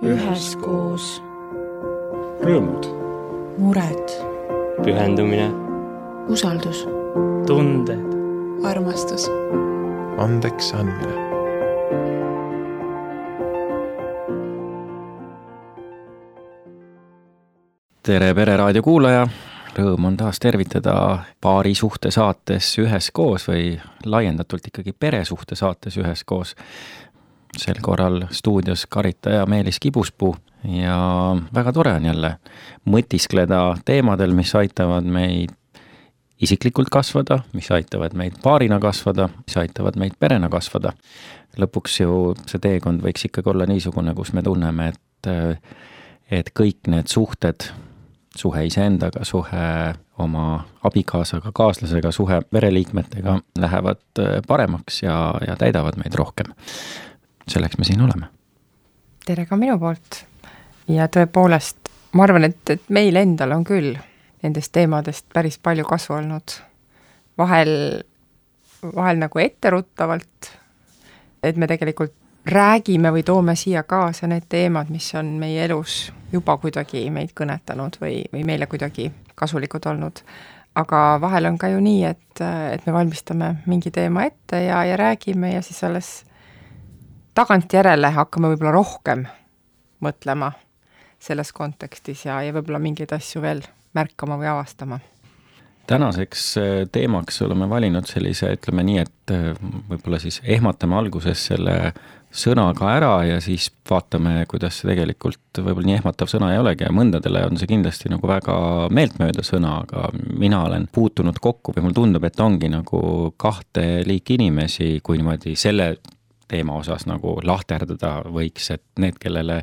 üheskoos. Rõõmud. Mured. Pühendumine. Usaldus. Tunded. Armastus. Andeks andmine. Tere Pereraadio kuulaja! Rõõm on taas tervitada paari suhte saates üheskoos või laiendatult ikkagi peresuhte saates üheskoos. Sel korral stuudios Karita ja Meelis Kibuspuu ja väga tore on jälle mõtiskleda teemadel, mis aitavad meid isiklikult kasvada, mis aitavad meid paarina kasvada, mis aitavad meid perena kasvada. Lõpuks ju see teekond võiks ikkagi olla niisugune, kus me tunneme, et kõik need suhted, suhe iseendaga, suhe oma abikaasaga, kaaslasega, suhe pereliikmetega lähevad paremaks ja täidavad meid rohkem. Selleks me siin oleme. Tere ka minu poolt. Ja tõepoolest, ma arvan, et meil endal on küll nendest teemadest päris palju kasu olnud. Vahel nagu etteruttavalt, et me tegelikult räägime või toome siia kaasa need teemad, mis on meie elus juba kuidagi meid kõnetanud või meile kuidagi kasulikud olnud. Aga vahel on ka ju nii, et me valmistame mingi teema ette ja räägime ja siis alles tagantjärele hakkame võib-olla rohkem mõtlema selles kontekstis ja võib-olla mingeid asju veel märkama või avastama. Tänaseks teemaks oleme valinud sellise, ütleme nii, et võib-olla siis ehmatame alguses selle sõnaga ära ja siis vaatame, kuidas see tegelikult võib-olla nii ehmatav sõna ei olegi ja mõndadele on see kindlasti nagu väga meeltmööda sõna, aga mina olen puutunud kokku või mul tundub, et ongi nagu kahte liiki inimesi, kui niimoodi selle teema osas nagu lahterdada võiks, et need, kellele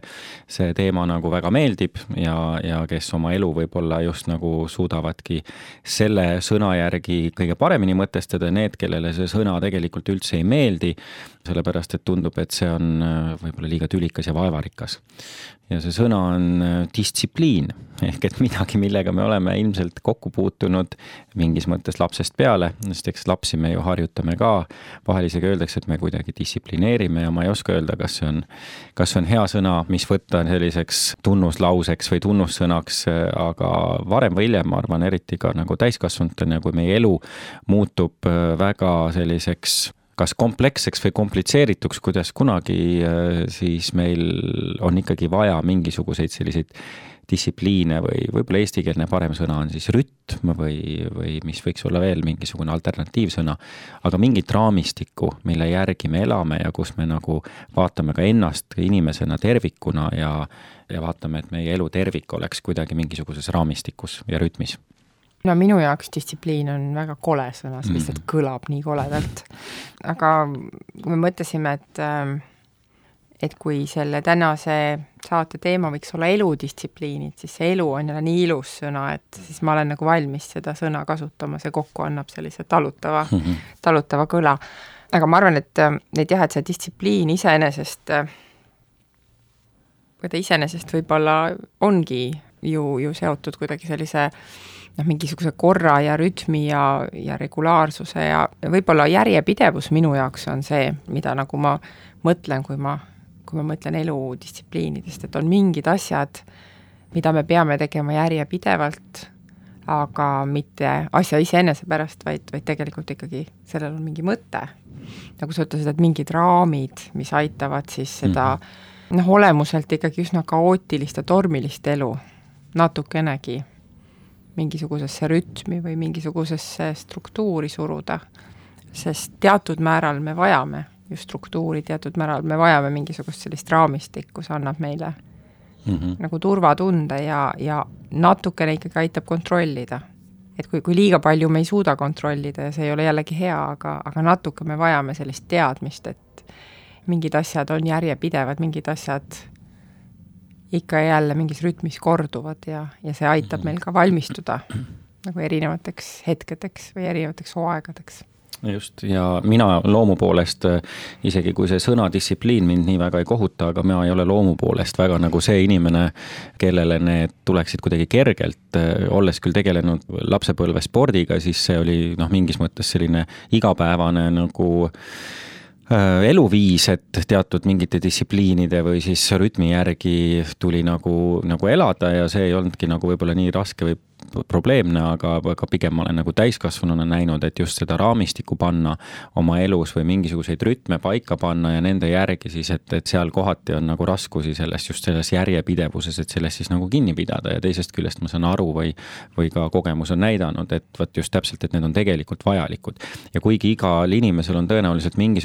see teema nagu väga meeldib ja kes oma elu võib-olla just nagu suudavadki selle sõna järgi kõige paremini mõtestada, need, kellele see sõna tegelikult üldse ei meeldi, sellepärast, et tundub, et see on võib-olla liiga tülikas ja vaevarikas. Ja see sõna on distsipliin, ehk et midagi, millega me oleme ilmselt kokku puutunud mingis mõttes lapsest peale, sest eks lapsi me ju harjutame ka, vahel isegi öeldakse, et me kuidagi distsiplineerime ja ma ei oska öelda, kas see on hea sõna, mis võtta selliseks tunnuslauseks või tunnussõnaks, aga varem või hiljem, ma arvan, eriti ka nagu täiskasvanutena, kui meie elu muutub väga selliseks kas kompleksseks või komplitseerituks, kuidas kunagi, siis meil on ikkagi vaja mingisuguseid selliseid distsipliine või võib-olla eestikeelne parem sõna on siis rütm või mis võiks olla veel mingisugune alternatiivsõna, aga mingit raamistikku, mille järgi me elame ja kus me nagu vaatame ka ennast inimesena tervikuna ja vaatame, et meie elu tervik oleks kuidagi mingisuguses raamistikus ja rütmis. No minu jaoks distsipliin on väga kole sõna, see lihtsalt kõlab nii koledalt. Aga kui me mõtlesime, et kui selle tänase saate teema võiks olla eludistsipliinid, siis see elu on jälle nii ilus sõna, et siis ma olen nagu valmis seda sõna kasutama, see kokku annab sellise talutava kõla. Aga ma arvan, et see distsipliin iseenesest võib-olla ongi ju seotud kuidagi sellise mingisuguse korra ja rütmi ja regulaarsuse ja võib-olla järjepidevus minu jaoks on see, mida nagu ma mõtlen, kui ma mõtlen eludistsipliinidest, et on mingid asjad, mida me peame tegema järjepidevalt, aga mitte asja iseenese pärast, vaid tegelikult ikkagi sellel on mingi mõte. Nagu sa ütlesid, et mingid raamid, mis aitavad siis seda olemuselt ikkagi üsna kaootilist ja tormilist elu natukenegi mingisugusesse rütmi või mingisugusesse struktuuri suruda, sest teatud määral me vajame ju struktuuri, teatud määral me vajame mingisugust sellist raamistikku, kus annab meile nagu turvatunde ja natukene ikkagi aitab kontrollida. Et kui liiga palju me ei suuda kontrollida ja see ei ole jällegi hea, aga natuke me vajame sellist teadmist, et mingid asjad on järjepidevad, mingid asjad ikka jälle mingis rütmis korduvad ja see aitab meil ka valmistuda nagu erinevateks hetkedeks või erinevateks hooaegadeks. Just, ja mina loomu poolest, isegi kui see sõna distsipliin mind nii väga ei kohuta, aga mina ei ole loomu poolest väga nagu see inimene, kellele need tuleksid kuidagi kergelt, olles küll tegelenud lapsepõlve spordiga, siis see oli mingis mõttes selline igapäevane nagu eluviis, et teatud mingite distsipliinide või siis rütmi järgi tuli nagu elada ja see ei olnudki nagu võib-olla nii raske või probleemne, aga pigem ma olen nagu täiskasvanuna näinud, et just seda raamistikku panna oma elus või mingisuguseid rütme paika panna ja nende järgi siis, et seal kohati on nagu raskusi selles järjepidevuses, et sellest siis nagu kinni pidada ja teisest küljest ma saan aru või ka kogemus on näidanud, et võt just täpselt, et need on tegelikult vajalikud. Ja kuigi igal inimesel on tõenäoliselt mingi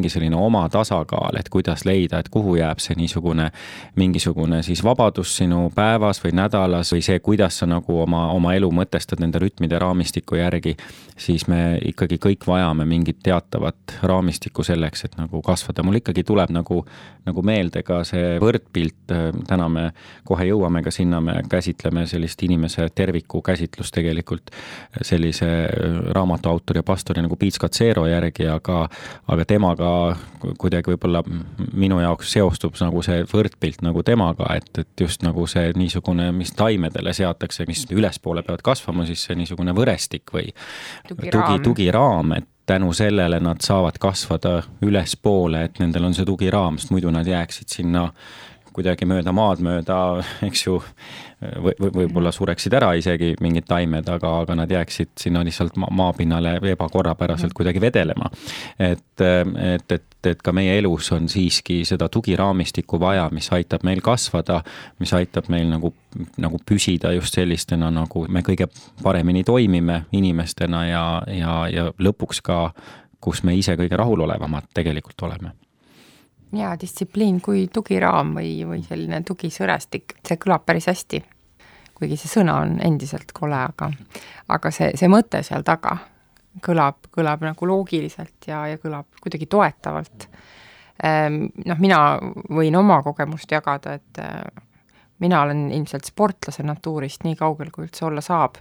selline oma tasakaal, et kuidas leida, et kuhu jääb see mingisugune siis vabadus sinu päevas või nädalas või see, kuidas sa nagu oma elu mõtestad nende rütmide raamistiku järgi, siis me ikkagi kõik vajame mingit teatavat raamistikku selleks, et nagu kasvada. Mul ikkagi tuleb nagu meelde ka see võrdpilt, täna me kohe jõuame ka sinna, me käsitleme sellist inimese terviku käsitlust tegelikult sellise raamatu autori ja pastori nagu Pete Scazzero järgi, aga temaga kuidagi võib-olla minu jaoks seostub nagu see võrdpilt nagu temaga, et just nagu see niisugune, mis taimedele seatakse, mis ülespoole peavad kasvama, siis see niisugune võrestik või tugiraam, et tänu sellele nad saavad kasvada ülespoole, et nendel on see tugiraam, sest muidu nad jääksid sinna kuidagi mööda maad mööda, eks ju, võib-olla sureksid ära isegi mingid taimed, aga nad jääksid sinna lihtsalt maapinnale ebakorrapäraselt kuidagi vedelema. Et ka meie elus on siiski seda tugiraamistikku vaja, mis aitab meil kasvada, mis aitab meil nagu püsida just sellistena, nagu me kõige paremini toimime inimestena ja lõpuks ka, kus me ise kõige rahulolevamad tegelikult oleme. Ja distsipliin kui tugiraam või selline tugisõrestik, see kõlab päris hästi, kuigi see sõna on endiselt kole, aga see mõte seal taga kõlab nagu loogiliselt ja kõlab kuidagi toetavalt. Mina võin oma kogemust jagada, et mina olen ilmselt sportlase natuurist nii kaugel, kui üldse olla saab.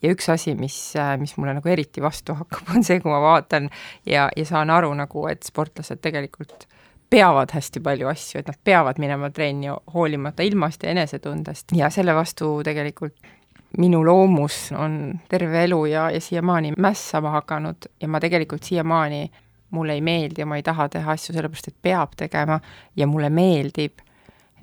Ja üks asi, mis mulle nagu eriti vastu hakkab, on see, kui ma vaatan ja saan aru nagu, et sportlased tegelikult peavad hästi palju asju, et nad peavad minema trenni hoolimata ilmast ja enesetundest ja selle vastu tegelikult minu loomus on terve elu ja siiamaani mässama hakanud ja ma tegelikult siiamaani mulle ei meeldi ja ma ei taha teha asju sellepärast, et peab tegema ja mulle meeldib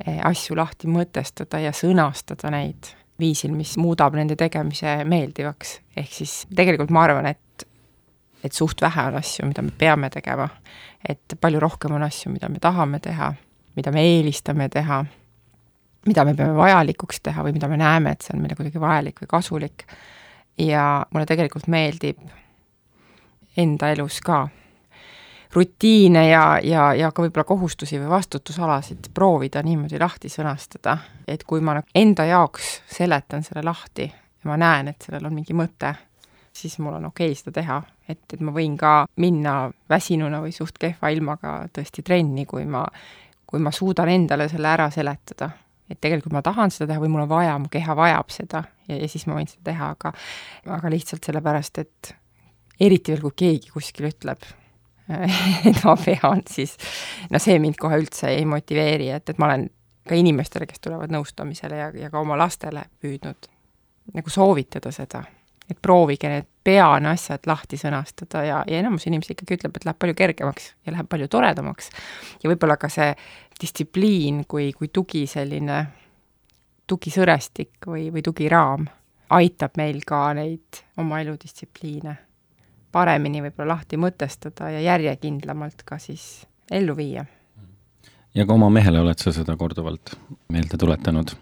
asju lahti mõtestada ja sõnastada neid viisil, mis muudab nende tegemise meeldivaks. Ehk siis tegelikult ma arvan, et suht vähe on asju, mida me peame tegema, et palju rohkem on asju, mida me tahame teha, mida me eelistame teha, mida me peame vajalikuks teha või mida me näeme, et see on meile kuidagi vajalik või kasulik. Ja mulle tegelikult meeldib enda elus ka rutiine ja ka võib-olla kohustusi või vastutusalasid proovida niimoodi lahti sõnastada, et kui ma enda jaoks seletan selle lahti ja ma näen, et sellel on mingi mõte, siis mul on okei seda teha, et ma võin ka minna väsinuna või suht kehva ilmaga tõesti trenni, kui ma suudan endale selle ära seletada. Et tegelikult ma tahan seda teha või mul on vaja, mu keha vajab seda ja siis ma võin seda teha, aga lihtsalt sellepärast, et eriti veel, kui keegi kuskil ütleb, et ma pean, siis see mind kohe üldse ei motiveeri, et ma olen ka inimestele, kes tulevad nõustamisele ja ka oma lastele püüdnud nagu soovitada seda, et proovige need peane asjad lahti sõnastada ja enamus inimesi ikkagi ütleb, et läheb palju kergemaks ja läheb palju toredamaks. Ja võib-olla ka see distsipliin kui selline tugisõrestik või tugiraam aitab meil ka neid oma eludistsipliine paremini võib-olla lahti mõtestada ja järjekindlamalt ka siis ellu viia. Ja ka oma mehele oled sa seda korduvalt meelde tuletanud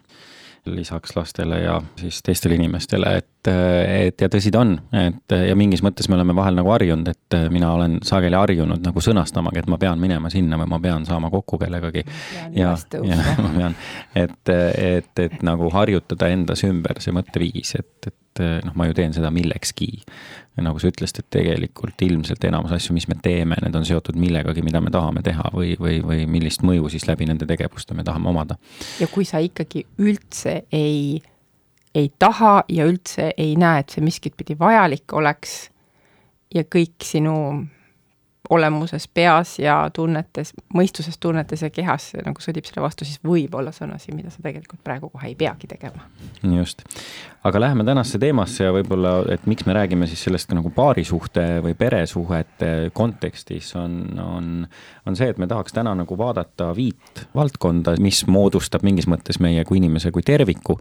lisaks lastele ja siis teistele inimestele, et ja tõsi ta on, et ja mingis mõttes me oleme vahel nagu harjunud, et mina olen sageli harjunud nagu sõnastamagi, et ma pean minema sinna või ma pean saama kokku kellegagi ja ma pean, et nagu harjutada endas ümber see mõtteviis, et ma ju teen seda millekski. Ja nagu sa ütlesid, et tegelikult ilmselt enamus asju, mis me teeme, need on seotud millegagi, mida me tahame teha või millist mõju siis läbi nende tegevuste me tahame omada. Ja kui sa ikkagi üldse ei taha ja üldse ei näe, et see miskit pidi vajalik oleks ja kõik sinu olemuses, peas ja tunnetes, mõistuses, tunnetes ja kehas nagu sõdib selle vastu, siis võib olla sõnasi, mida sa tegelikult praegu kohe ei peagi tegema. Just. Aga läheme tänasse teemasse ja võib-olla, et miks me räägime siis sellest ka nagu paarisuhte või peresuhete kontekstis on see, et me tahaks täna nagu vaadata 5 valdkonda, mis moodustab mingis mõttes meie kui inimese kui terviku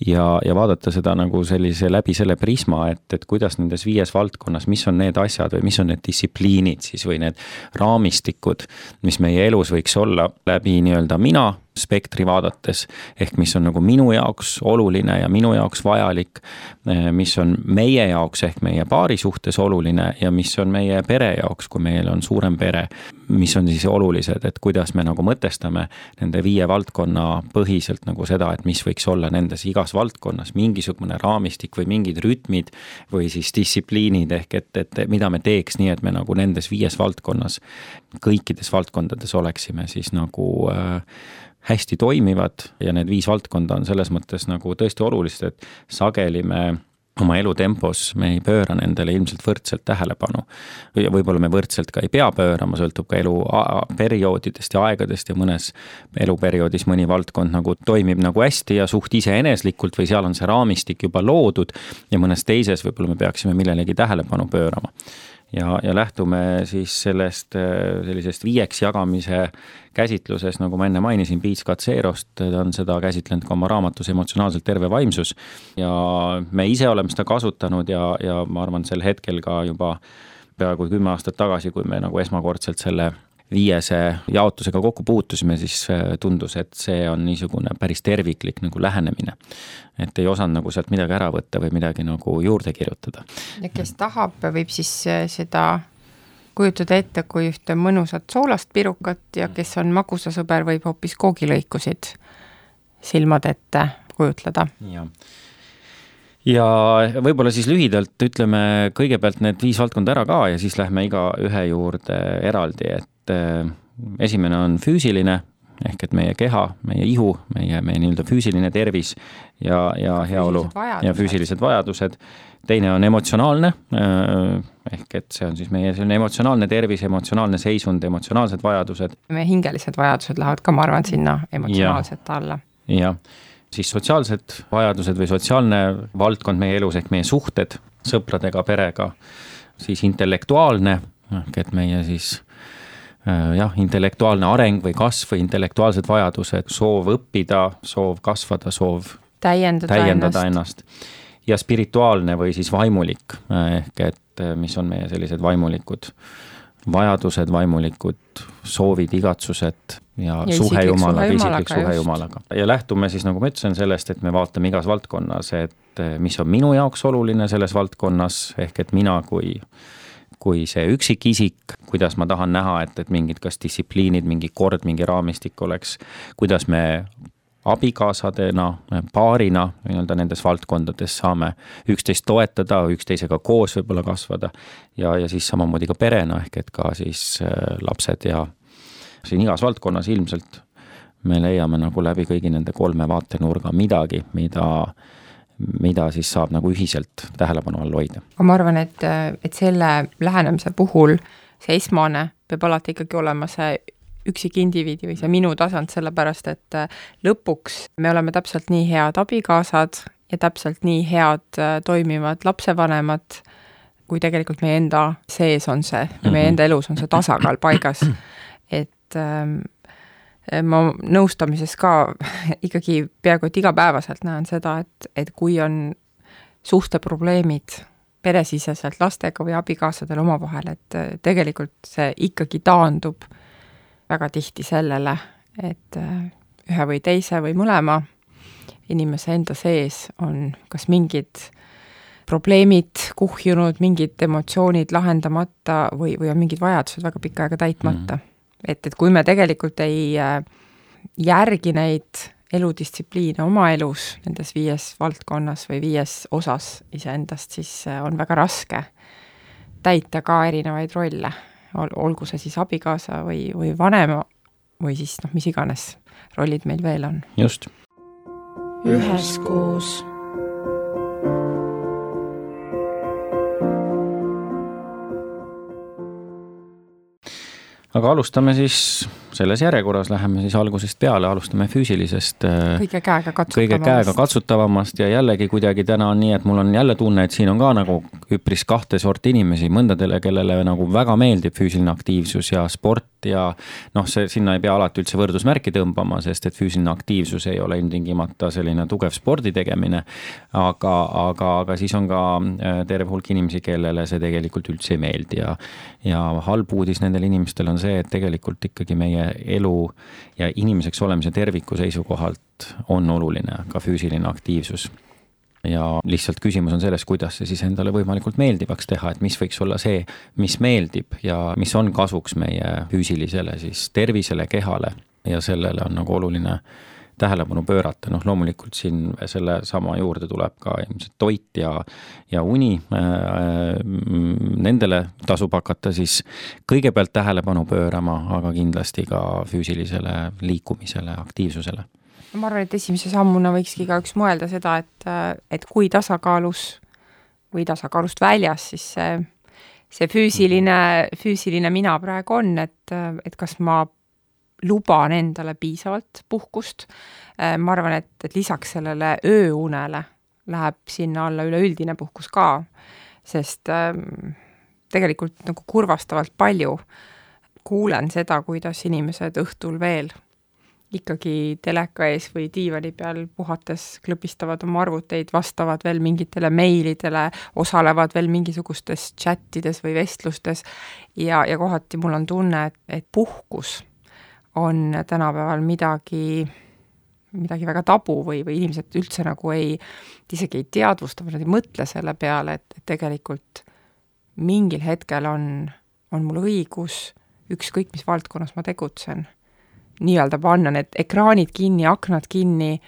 ja vaadata seda nagu sellise läbi selle prisma, et kuidas nendes 5 valdkonnas, mis on need asjad või mis on need distsipliinid siis või need raamistikud, mis meie elus võiks olla läbi nii-öelda mina spektri vaadates, ehk mis on nagu minu jaoks oluline ja minu jaoks vajalik, mis on meie jaoks ehk meie paari suhtes oluline ja mis on meie pere jaoks, kui meil on suurem pere, mis on siis olulised, et kuidas me nagu mõtestame nende 5 valdkonna põhiselt nagu seda, et mis võiks olla nendes igas valdkonnas mingisugune raamistik või mingid rütmid või siis distsipliinid ehk et mida me teeks nii, et me nagu nendes 5 valdkonnas, kõikides valdkondades oleksime siis nagu hästi toimivad ja need 5 valdkonda on selles mõttes nagu tõesti olulised, et sageli me oma elutempos me ei pööra nendele ilmselt võrdselt tähelepanu. Ja võib-olla me võrdselt ka ei pea pöörama, sõltub ka elu perioodidest ja aegadest ja mõnes eluperioodis mõni valdkond nagu toimib nagu hästi ja suht iseeneslikult või seal on see raamistik juba loodud ja mõnes teises võib-olla me peaksime millelegi tähelepanu pöörama. Ja lähtume siis sellest sellisest 5 jagamise käsitluses, nagu ma enne mainisin, Piits Katserost, ta on seda käsitlenud ka oma raamatus Emotsionaalselt terve vaimsus ja me ise oleme seda kasutanud ja ma arvan sel hetkel ka juba peaaegu 10 aastat tagasi, kui me nagu esmakordselt selle 5 jaotusega kokku puutusime, siis tundus, et see on niisugune päris terviklik nagu lähenemine. Et ei osanud nagu sealt midagi ära võtta või midagi nagu juurde kirjutada. Ja kes tahab, võib siis seda kujutada ette kui ühte mõnusat soolast pirukat ja kes on magusasõber, võib hoopis koogilõikusid silmad ette kujutleda. Ja võib-olla siis lühidalt ütleme kõigepealt need 5 valdkonda ära ka ja siis lähme iga ühe juurde eraldi, et esimene on füüsiline, ehk et meie keha, meie ihu, meie nii-öelda füüsiline tervis ja heaolu ja füüsilised vajadused. Teine on emotsionaalne, ehk et see on siis meie selline emotsionaalne tervis, emotsionaalne seisund, emotsionaalsed vajadused. Meie hingelised vajadused lähevad ka, ma arvan, sinna emotsionaalset alla. Ja siis sotsiaalsed vajadused või sotsiaalne valdkond meie elus ehk meie suhted sõpradega, perega, siis intellektuaalne, ehk et meie siis intellektuaalne areng või kasv või intellektuaalsed vajadused, soov õppida, soov kasvada, soov täiendada ennast. Ja spirituaalne või siis vaimulik, ehk et mis on meie sellised vaimulikud vajadused, vaimulikud soovid, igatsused ja suhe Jumalaga, isiklik suhe Jumalaga. Ja lähtume siis, nagu ma ütlesin, sellest, et me vaatame igas valdkonnas, et mis on minu jaoks oluline selles valdkonnas, ehk et mina kui see üksik isik, kuidas ma tahan näha, et mingid kas distsipliinid, mingi kord, mingi raamistik oleks, kuidas me abikaasadena, paarina nii-öelda nendes valdkondades saame üksteist toetada, üksteisega koos võib-olla kasvada ja siis samamoodi ka perena, ehk et ka siis lapsed ja siin igas valdkonnas ilmselt me leiame nagu läbi kõigi nende 3 vaatenurga midagi, mida siis saab nagu ühiselt tähelepanu all hoida. Ma arvan, et selle lähenemise puhul see esmane peab alati ikkagi olema see üksik indiviidi või see minu tasand, sellepärast et lõpuks me oleme täpselt nii head abikaasad ja täpselt nii head toimivad lapsevanemad, kui tegelikult meie enda sees on see, meie enda elus on see tasakaal paigas. Et ma nõustamises ka ikkagi peaaegu et igapäevaselt näen seda, et kui on suhteprobleemid peresiseselt lastega või abikaasadel omavahel, et tegelikult see ikkagi taandub väga tihti sellele, et ühe või teise või mõlema inimese enda sees on kas mingid probleemid kuhjunud, mingid emotsioonid lahendamata või on mingid vajadused väga pikka aega täitmata. Et kui me tegelikult ei järgi neid eludistsipliine oma elus nendes 5 valdkonnas või 5 osas iseendast, siis on väga raske täita ka erinevaid rolle, olgu see siis abikaasa või vanema või siis mis iganes rollid meil veel on. Just. Üheskoos. aga alustame siis selles järjekorras, läheme siis algusest peale, alustame füüsilisest kõige käega katsutavamast ja jällegi kuidagi täna on nii, et mul on jälle tunne, et siin on ka nagu üpris kahte sorti inimesi, mõndadele, kellele nagu väga meeldib füüsiline aktiivsus ja sport ja sinna ei pea alati üldse võrdusmärki tõmbama, sest et füüsiline aktiivsus ei ole ilmtingimata selline tugev spordi tegemine, aga siis on ka terve hulk inimesi, kellele see tegelikult üldse ei meeldi ja halb uudis nendel inimestel on see, et tegelikult ikkagi meie elu ja inimeseks olemise terviku seisukohalt on oluline ka füüsiline aktiivsus. Ja lihtsalt küsimus on selles, kuidas see siis endale võimalikult meeldivaks teha, et mis võiks olla see, mis meeldib ja mis on kasuks meie füüsilisele siis tervisele, kehale ja sellele on nagu oluline tähelepanu pöörata. Loomulikult siin selle sama juurde tuleb ka ilmselt toit ja uni. Nendele tasub hakata siis kõigepealt tähelepanu pöörama, aga kindlasti ka füüsilisele liikumisele, aktiivsusele. Ma arvan, et esimese sammuna võikski ka üks mõelda seda, et kui tasakaalus või tasakaalust väljas, siis see füüsiline mina praegu on, et kas ma luban endale piisavalt puhkust. Ma arvan, et lisaks sellele ööunele läheb sinna alla üleüldine puhkus ka, sest tegelikult nagu kurvastavalt palju kuulen seda, kuidas inimesed õhtul veel ikkagi teleka ees või diivani peal puhates klõpistavad oma arvuteid, vastavad veel mingitele meilidele, osalevad veel mingisugustes chattides või vestlustes ja kohati mul on tunne, et puhkus on tänapäeval midagi väga tabu või inimesed üldse nagu isegi ei teadvusta või nad ei mõtle selle peale, et tegelikult mingil hetkel on mul õigus ükskõik mis valdkonnas ma tegutsen nii-öelda panna need ekraanid kinni, aknad kinni,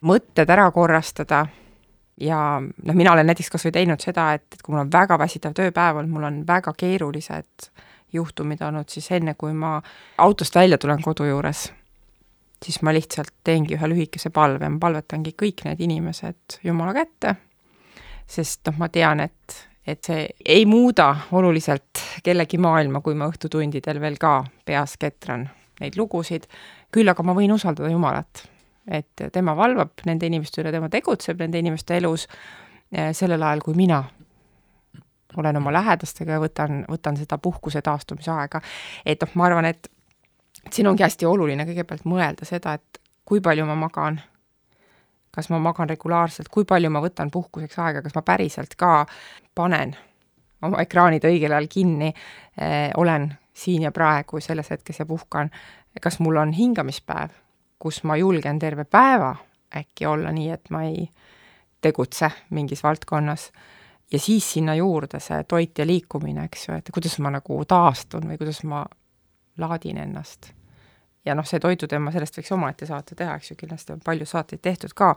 mõtted ära korrastada ja mina olen näiteks kas või teinud seda, et kui mul on väga väsitav tööpäev, mul on väga keerulised juhtumid olnud siis enne, kui ma autost välja tulen kodu juures, siis ma lihtsalt teengi ühe lühikese palve, ma palvetangi kõik need inimesed Jumala kätte, sest ma tean, et see ei muuda oluliselt kellegi maailma, kui ma õhtutundidel veel ka peas ketran neid lugusid, küll aga ma võin usaldada Jumalat, et tema valvab nende inimeste üle, tema tegutseb nende inimeste elus sellel ajal, kui mina olen oma lähedastega ja võtan seda puhkuse taastumise aega. Et ma arvan, et siin ongi hästi oluline kõigepealt mõelda seda, et kui palju ma magan, kas ma magan regulaarselt, kui palju ma võtan puhkuseks aega, kas ma päriselt ka panen oma ekraanid õigel ajal kinni, olen siin ja praegu selles hetkes ja puhkan, kas mul on hingamispäev, kus ma julgen terve päeva äkki olla nii, et ma ei tegutse mingis valdkonnas ja siis sinna juurde see toit ja liikumine, eks ju, et kuidas ma nagu taastun või kuidas ma laadin ennast. Ja see toituteema, sellest võiks omaette saate teha, eks ju, kindlasti on palju saateid tehtud ka,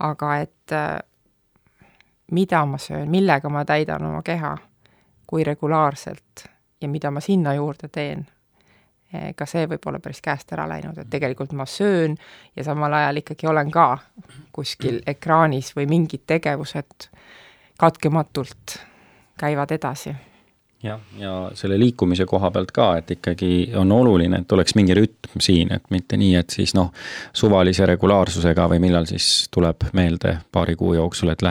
aga et mida ma söön, millega ma täidan oma keha, kui regulaarselt ja mida ma sinna juurde teen, ka see võib olla päris käest ära läinud, et tegelikult ma söön ja samal ajal ikkagi olen ka kuskil ekraanis või mingid tegevused katkematult käivad edasi. Ja selle liikumise koha pealt ka, et ikkagi on oluline, et oleks mingi rütm siin, et mitte nii, et siis suvalise regulaarsusega või millal siis tuleb meelde paari kuu jooksul, et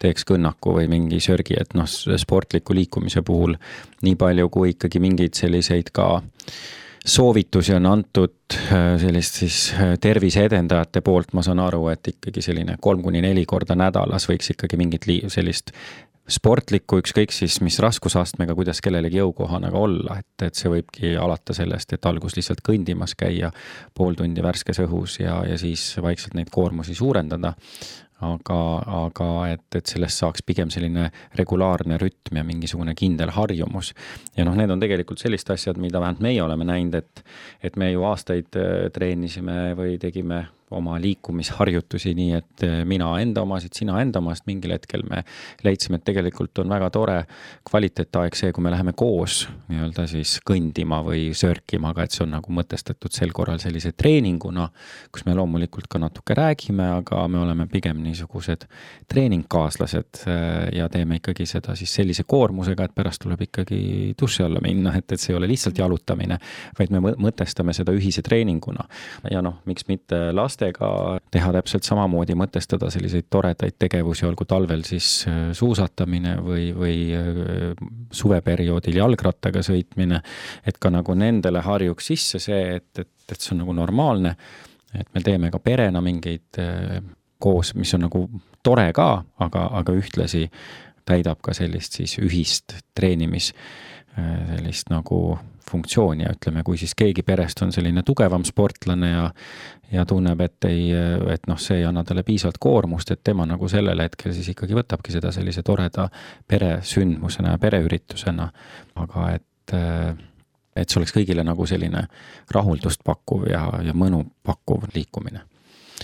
teeks kõnnaku või mingi sörgi, et sportliku liikumise puhul nii palju, kui ikkagi mingeid selliseid ka soovitusi on antud sellist siis tervise edendajate poolt, ma saan aru, et ikkagi selline 3-4 korda nädalas võiks ikkagi mingit sellist sportlikku, ükskõik siis mis raskusastmega, kuidas kellelegi jõukohane olla, et see võibki alata sellest, et algus lihtsalt kõndimas käia pool tundi värskes õhus ja siis vaikselt neid koormusi suurendada, aga et sellest saaks pigem selline regulaarne rütm ja mingisugune kindel harjumus. Ja need on tegelikult sellist asjad, mida vähemalt meie oleme näinud, et me ju aastaid treenisime või tegime oma liikumisharjutusi nii, et mina enda omasid, sina enda omast, mingil hetkel me leidsime, et tegelikult on väga tore kvaliteetaeg see, kui me läheme koos nii-öelda siis kõndima või sörkima, aga et see on nagu mõtestatud sel korral sellise treeninguna, kus me loomulikult ka natuke räägime, aga me oleme pigem niisugused treeningkaaslased ja teeme ikkagi seda siis sellise koormusega, et pärast tuleb ikkagi duši alla minna, et see ei ole lihtsalt jalutamine, vaid me mõtestame seda ühise treeninguna. Ja miks mitte lastega teha täpselt samamoodi, mõtestada selliseid toredaid tegevusi, olgu talvel siis suusatamine või suveperioodil jalgrattaga sõitmine, et ka nagu nendele harjuks sisse see, et see on nagu normaalne, et me teeme ka perena mingeid koos, mis on nagu tore ka, aga ühtlasi täidab ka sellist siis ühist treenimis sellist nagu funktsiooni ja ütleme, kui siis keegi perest on selline tugevam sportlane ja tunneb, et see ei anna talle piisavalt koormust, et tema nagu sellel hetkel siis ikkagi võtabki seda sellise toreda peresündmusena ja pereüritusena, aga et see oleks kõigile nagu selline rahuldust pakkuv ja mõnu pakkuv liikumine.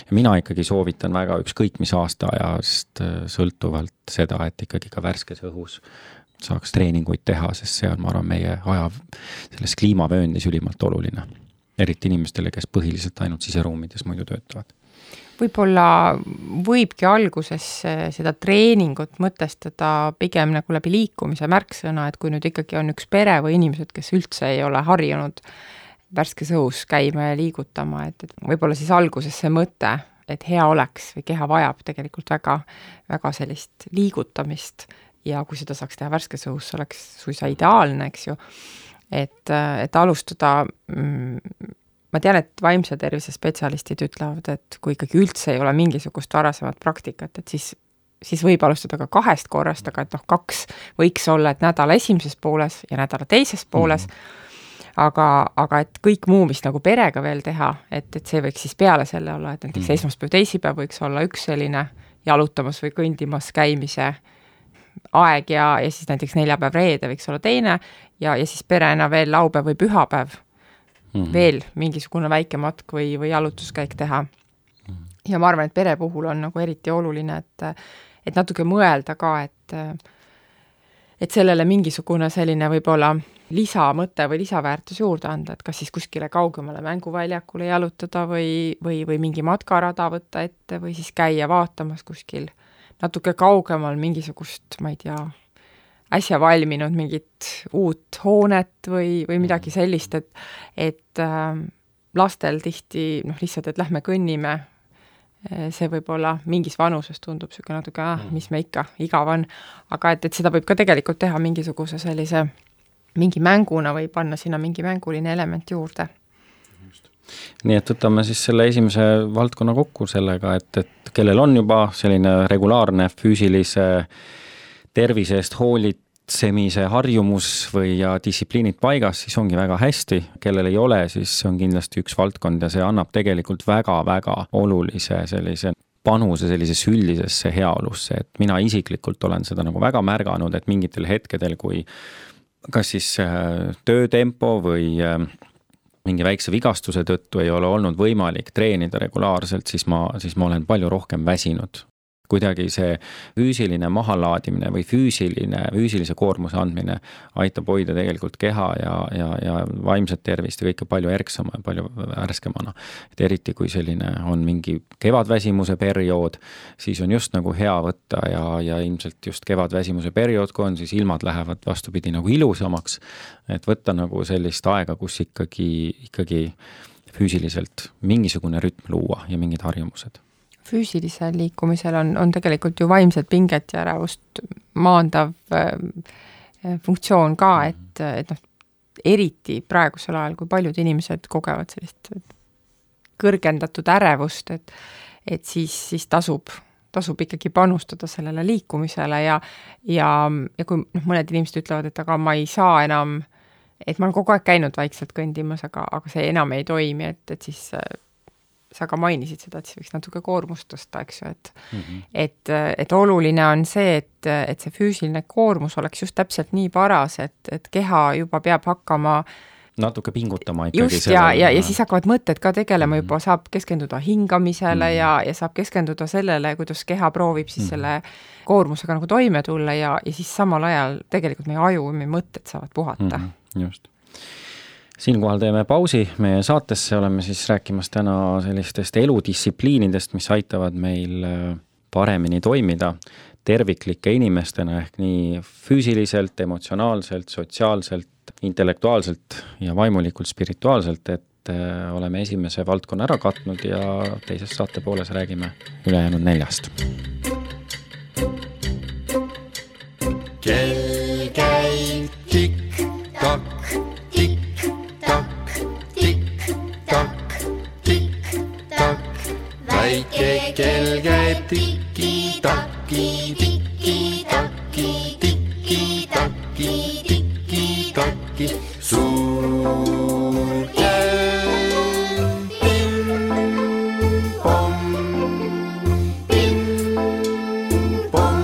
Ja mina ikkagi soovitan väga ükskõik mis aastaajast sõltuvalt seda, et ikkagi ka värskes õhus saaks treeninguid teha, sest see on, ma arvan, meie aja selles kliimavööndis ülimalt oluline. Eriti inimestele, kes põhiliselt ainult siseruumides muidu töötavad. Võib-olla võibki alguses seda treeningut mõtestada pigem nagu läbi liikumise märksõna, et kui nüüd ikkagi on üks pere või inimesed, kes üldse ei ole harjunud värskes õhus käima ja liigutama, et võib-olla siis alguses see mõte, et hea oleks või keha vajab tegelikult väga, väga sellist liigutamist ja kui seda saaks teha värskes õhus, oleks suisa ideaalne, eks ju, et alustada, ma tean, et vaimse tervise spetsialistid ütlevad, et kui ikkagi üldse ei ole mingisugust varasemat praktikat, et siis võib alustada ka 2 korrast, aga et 2 võiks olla, et nädala esimeses pooles ja nädala teises pooles, aga et kõik muu, mis nagu perega veel teha, et see võiks siis peale selle olla, et näiteks esmaspäev, teisipäev võiks olla üks selline jalutamas või kõndimas käimise aeg ja siis näiteks neljapäev, reede võiks olla teine ja siis perena veel laupäev või pühapäev veel mingisugune väike matk või jalutuskäik teha. Ja ma arvan, et pere puhul on nagu eriti oluline, et natuke mõelda ka, et sellele mingisugune selline võib-olla lisamõte või lisaväärtus juurde anda, et kas siis kuskile kaugemale mänguväljakule jalutada või mingi matkarada võtta ette või siis käia vaatamas kuskil natuke kaugemal mingisugust, ma ei tea, äsja valminud mingit uut hoonet või midagi sellist, et lastel tihti lihtsalt, et lähme kõnnime, see võib-olla mingis vanuses tundub siuke natuke, mis me ikka, igav on, aga et seda võib ka tegelikult teha mingisuguse sellise mingi mänguna või panna sinna mingi mänguline element juurde. Nii et võtame siis selle esimese valdkonna kokku sellega, et kellel on juba selline regulaarne füüsilise tervise eest hoolitsemise harjumus või ja distsipliinid paigas, siis ongi väga hästi. Kellel ei ole, siis on kindlasti üks valdkond ja see annab tegelikult väga-väga olulise sellise panuse sellisesse üldisesse heaolusse, et mina isiklikult olen seda nagu väga märganud, et mingitel hetkedel, kui kas siis töötempo või mingi väikse vigastuse tõttu ei ole olnud võimalik treenida regulaarselt, siis ma olen palju rohkem väsinud. Kuidagi see füüsiline mahalaadimine või füüsilise koormuse andmine aitab hoida tegelikult keha ja vaimset tervist ja kõike palju erksama ja palju värskemana. Et eriti kui selline on mingi kevadväsimuse periood, siis on just nagu hea võtta ja ilmselt just kevadväsimuse periood, kui on, siis ilmad lähevad vastupidi nagu ilusamaks, et võtta nagu sellist aega, kus ikkagi füüsiliselt mingisugune rütm luua ja mingid harjumused. Füüsilisel liikumisel on tegelikult ju vaimset pinget ja ärevust maandav funktsioon ka, et eriti praegusel ajal, kui paljud inimesed kogevad sellist kõrgendatud ärevust, et siis tasub ikkagi panustada sellele liikumisele ja kui mõned inimesed ütlevad, et aga ma ei saa enam, et ma olen kogu aeg käinud vaikselt kõndimas, aga see enam ei toimi, et siis sa ka mainisid seda, et siis võiks natuke koormust tõsta, eks ju, et oluline on see, et see füüsiline koormus oleks just täpselt nii paras, et keha juba peab hakkama natuke pingutama ikkagi. Just, ja siis hakkavad mõtted ka tegelema juba, saab keskenduda hingamisele ja saab keskenduda sellele, kuidas keha proovib siis selle koormusega nagu toime tulla ja siis samal ajal tegelikult meie aju ja meie mõtted saavad puhata. Just. Siinkohal teeme pausi meie saatesse, oleme siis rääkimas täna sellistest eludistsipliinidest, mis aitavad meil paremini toimida terviklike inimestena ehk nii füüsiliselt, emotsionaalselt, sotsiaalselt, intellektuaalselt ja vaimulikult spirituaalselt, et oleme esimese valdkonna ära katnud ja teises saate pooles räägime ülejäänud 4. Kell käib tikk-takk, tikk-takk, tikk-takk, tikk-takk. Väike kell käib tiki-takki, tiki-takki, tiki-takki, tiki-takki. Suur kell, pim-pom, pim-pom,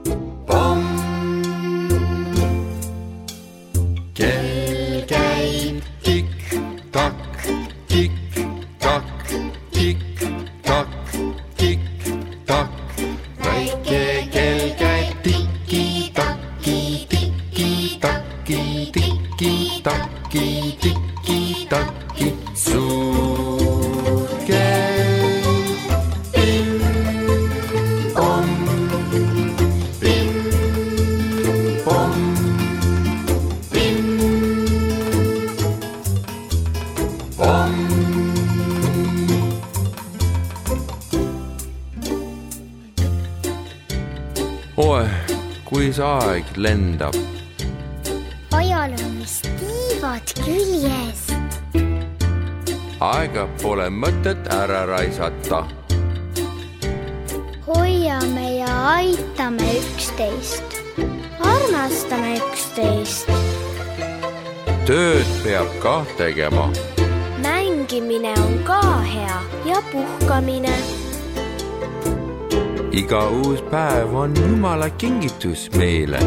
pim-pom. Kell käib tikk-takk, tikk-takk, tikk-takk, tikk-takk. Väike kell käib tiki-takki, tiki-takki, tiki-takki, tiki-takki. Suur kell, pim-pom, pim-pom, pim-pom. Oi, kui see aeg lendab. Ajal on vist tiivad küljes. Aega pole mõtet ära raisata. Hoiame ja aitame üksteist. Armastame üksteist. Tööd peab ka tegema. Mängimine on ka hea ja puhkamine. Iga uus päev on Jumala kingitus meile.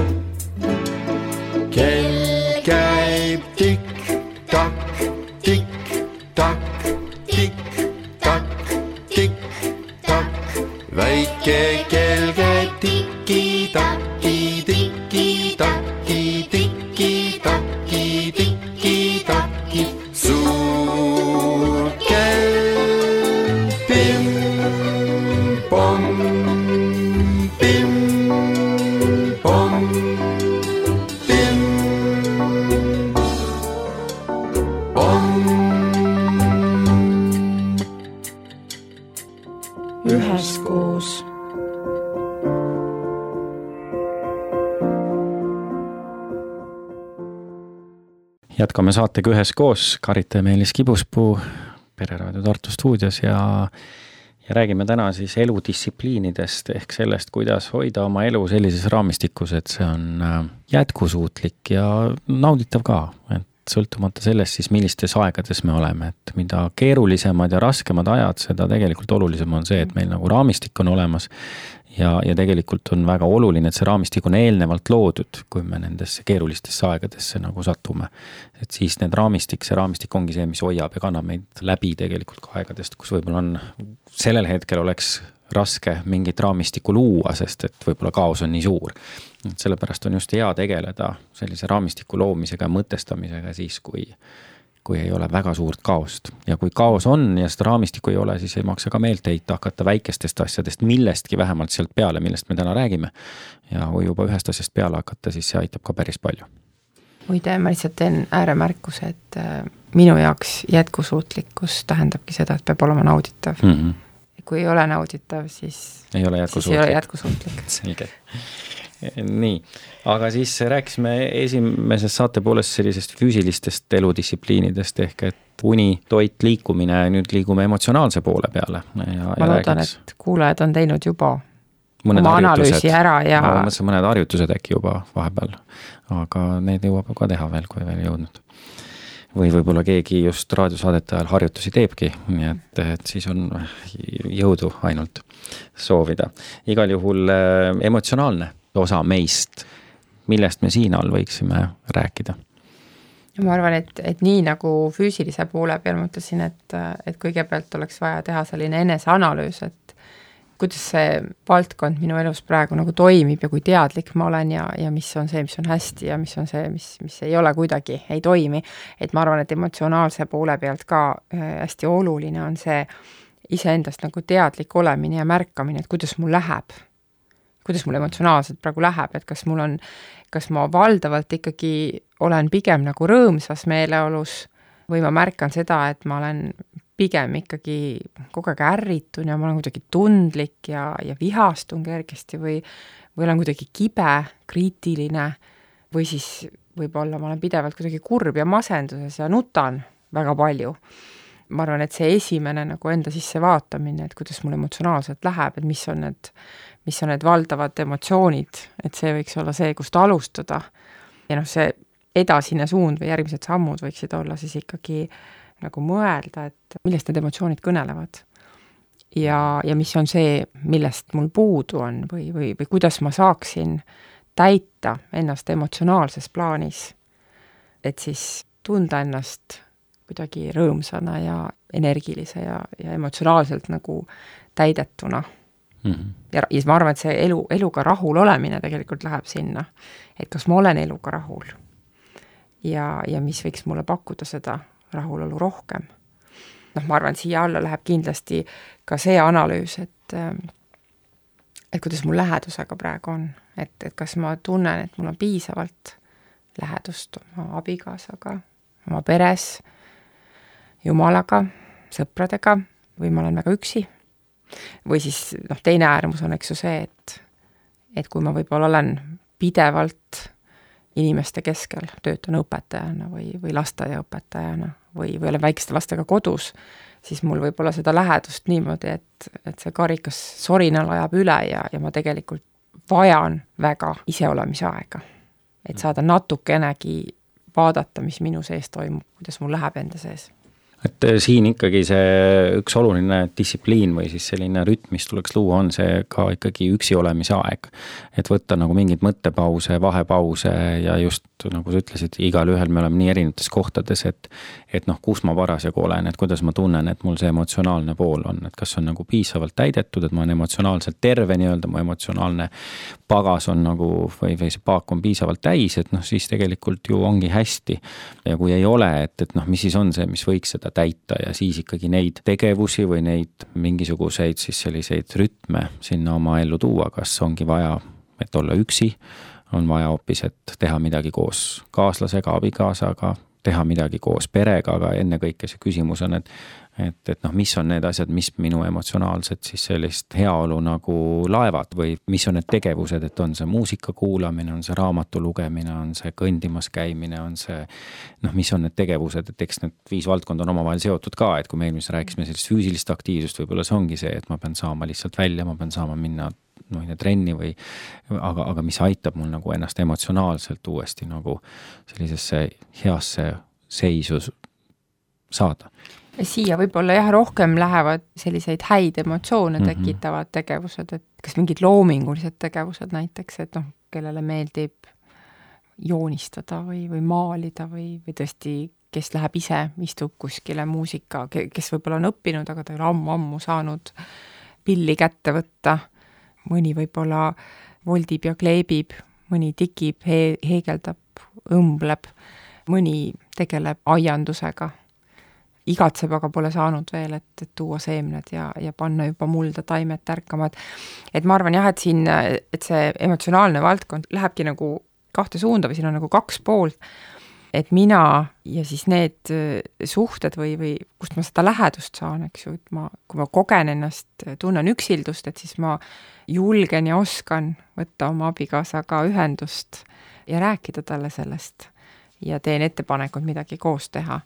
Kell käib tikk-takk, tikk-takk, tikk-takk, tikk-takk. Väike kell käib tiki-takki, tiki-takki, tiki-takki, tiki-takki. Suur kell, pim-pom, pim-pom, pim-pom. Üheskoos. Jätkame saatega Üheskoos, Karita ja Meelis Kibuspuu Pereraadio Tartu stuudios ja räägime täna siis eludistsipliinidest ehk sellest, kuidas hoida oma elu sellises raamistikus, et see on jätkusuutlik ja nauditav ka, et sõltumata sellest siis, millistes aegades me oleme, et mida keerulisemad ja raskemad ajad, seda tegelikult olulisem on see, et meil nagu raamistik on olemas ja tegelikult on väga oluline, et see raamistik on eelnevalt loodud, kui me nendesse keerulistesse aegadesse nagu satume. Et siis see raamistik ongi see, mis hoiab ja kannab meid läbi tegelikult ka aegadest, kus võib-olla on sellel hetkel oleks raske mingit raamistikku luua, sest et võib-olla kaos on nii suur. Sellepärast on just hea tegeleda sellise raamistiku loomisega ja mõtestamisega siis, kui ei ole väga suurt kaost. Ja kui kaos on ja seda raamistikku ei ole, siis ei maksa ka meelt heita hakata väikestest asjadest, millestki vähemalt sealt peale, millest me täna räägime. Ja kui juba ühest asjast peale hakata, siis see aitab ka päris palju. Muide, ma lihtsalt teen ääremärkuse, et minu jaoks jätkusuutlikkus tähendabki seda, et peab olema nauditav. Kui ei ole nauditav, siis ei ole jätkusuutlik. Selge. Nii, aga siis rääkisime esimeses saate poolest sellisest füüsilistest eludistsipliinidest ehk et uni, toit, liikumine, nüüd liigume emotsionaalse poole peale. Ma loodan, et kuulajad on teinud juba oma analüüsi ära ja mõned harjutused äkki juba vahepeal, aga need jõuab ka teha veel, kui veel jõudnud. Või võib-olla keegi just raadiosaadete ajal harjutusi teebki, nii et siis on jõudu ainult soovida. Igal juhul emotsionaalne osa meist millest me siin all võiksime rääkida? Ma arvan, et nii nagu füüsilise poole peal ma ütlesin, et kõigepealt oleks vaja teha selline eneseanalüüs, et kuidas see valdkond minu elus praegu nagu toimib ja kui teadlik ma olen ja mis on see, mis on hästi ja mis on see, mis ei ole kuidagi, ei toimi. Et ma arvan, et emotsionaalse poole pealt ka hästi oluline on see iseendast nagu teadlik olemine ja märkamine, et kuidas mul läheb. Kuidas mul emotsionaalselt praegu läheb, et kas ma valdavalt ikkagi olen pigem nagu rõõmsas meeleolus või ma märkan seda, et ma olen pigem ikkagi kogu aeg ärritun ja ma olen kuidagi tundlik ja vihastun kergesti või olen kuidagi kibe, kriitiline või siis võib-olla ma olen pidevalt kuidagi kurb ja masenduses ja nutan väga palju. Ma arvan, et see esimene nagu enda sisse vaatamine, et kuidas mul emotsionaalselt läheb, et mis on need valdavad emotsioonid, et see võiks olla see, kust alustada. Ja see edasine suund või järgmised sammud võiksid olla siis ikkagi nagu mõelda, et millest need emotsioonid kõnelevad. Ja mis on see, millest mul puudu on või kuidas ma saaksin täita ennast emotsionaalses plaanis, et siis tunda ennast kuidagi rõõmsana ja energilise ja emotsionaalselt nagu täidetuna. Ja siis ma arvan, et see eluga rahul olemine tegelikult läheb sinna, et kas ma olen eluga rahul ja mis võiks mulle pakkuda seda rahulolu rohkem. Ma arvan, et siia alla läheb kindlasti ka see analüüs, et kuidas mul lähedusega praegu on, et kas ma tunnen, et mul on piisavalt lähedust oma abikaasaga, oma peres, Jumalaga, sõpradega või ma olen väga üksi. Või siis teine äärmus on eks ju see, et kui ma võib-olla olen pidevalt inimeste keskel, töötan õpetajana või lasteaiaõpetajana või olen väikeste lastega kodus, siis mul võib olla seda lähedust niimoodi, et see karikas sorinal ajab üle ja ma tegelikult vajan väga iseolemise aega. Et saada natukenegi vaadata, mis minu sees toimub, kuidas mul läheb enda sees. Et siin ikkagi see üks oluline distsipliin või siis selline rütm, mis tuleks luua, on see ka ikkagi üksi olemise aeg. Et võtta nagu mingid mõttepause, vahepause ja just nagu sa ütlesid, igal ühel me oleme nii erinevates kohtades, et kus ma parasjagu olen, et kuidas ma tunnen, et mul see emotsionaalne pool on, et kas on nagu piisavalt täidetud, et ma olen emotsionaalselt terve nii-öelda, mu emotsionaalne pagas on nagu või see paak on piisavalt täis, et siis tegelikult ju ongi hästi. Ja kui ei ole, et mis siis on see, mis võiks seda täita ja siis ikkagi neid tegevusi või neid mingisuguseid siis selliseid rütme sinna oma ellu tuua, kas ongi vaja, et olla üksi, on vaja hoopis, et teha midagi koos kaaslasega, abikaasaga, teha midagi koos perega, aga ennekõike see küsimus on, et mis on need asjad, mis minu emotsionaalset siis sellist heaolu nagu laevad või mis on need tegevused, et on see muusika kuulamine, on see raamatu lugemine, on see kõndimas käimine, on see, mis on need tegevused, et eks need 5 valdkond on omavahel seotud ka, et kui me eelmise rääkisime sellist füüsilist aktiivsust, võib-olla see ongi see, et ma pean saama lihtsalt välja, ma pean saama minna trenni või, aga mis aitab mul nagu ennast emotsionaalselt uuesti nagu sellisesse heasse seisu saada. Siia võib-olla rohkem lähevad selliseid häid emotsioone tekitavad tegevused, et kas mingid loomingulised tegevused näiteks, et kellele meeldib joonistada või maalida või tõesti, kes läheb ise, istub kuskile muusika, kes võib-olla on õppinud, aga ta ei ole ammu saanud pilli kätte võtta. Mõni võib-olla voldib ja kleebib, mõni tikib, heegeldab, õmbleb, mõni tegeleb aiandusega. Igatseb, aga pole saanud veel, et tuua seemned ja panna juba mulda taimed tärkama. Et ma arvan et siin, et see emotsionaalne valdkond lähebki nagu 2 suunda või siin on nagu 2 poolt, et mina ja siis need suhted või kust ma seda lähedust saan, eks ju, et kui ma kogen ennast, tunnen üksildust, et siis ma julgen ja oskan võtta oma abikaasaga ühendust ja rääkida talle sellest ja teen ettepanekud midagi koos teha.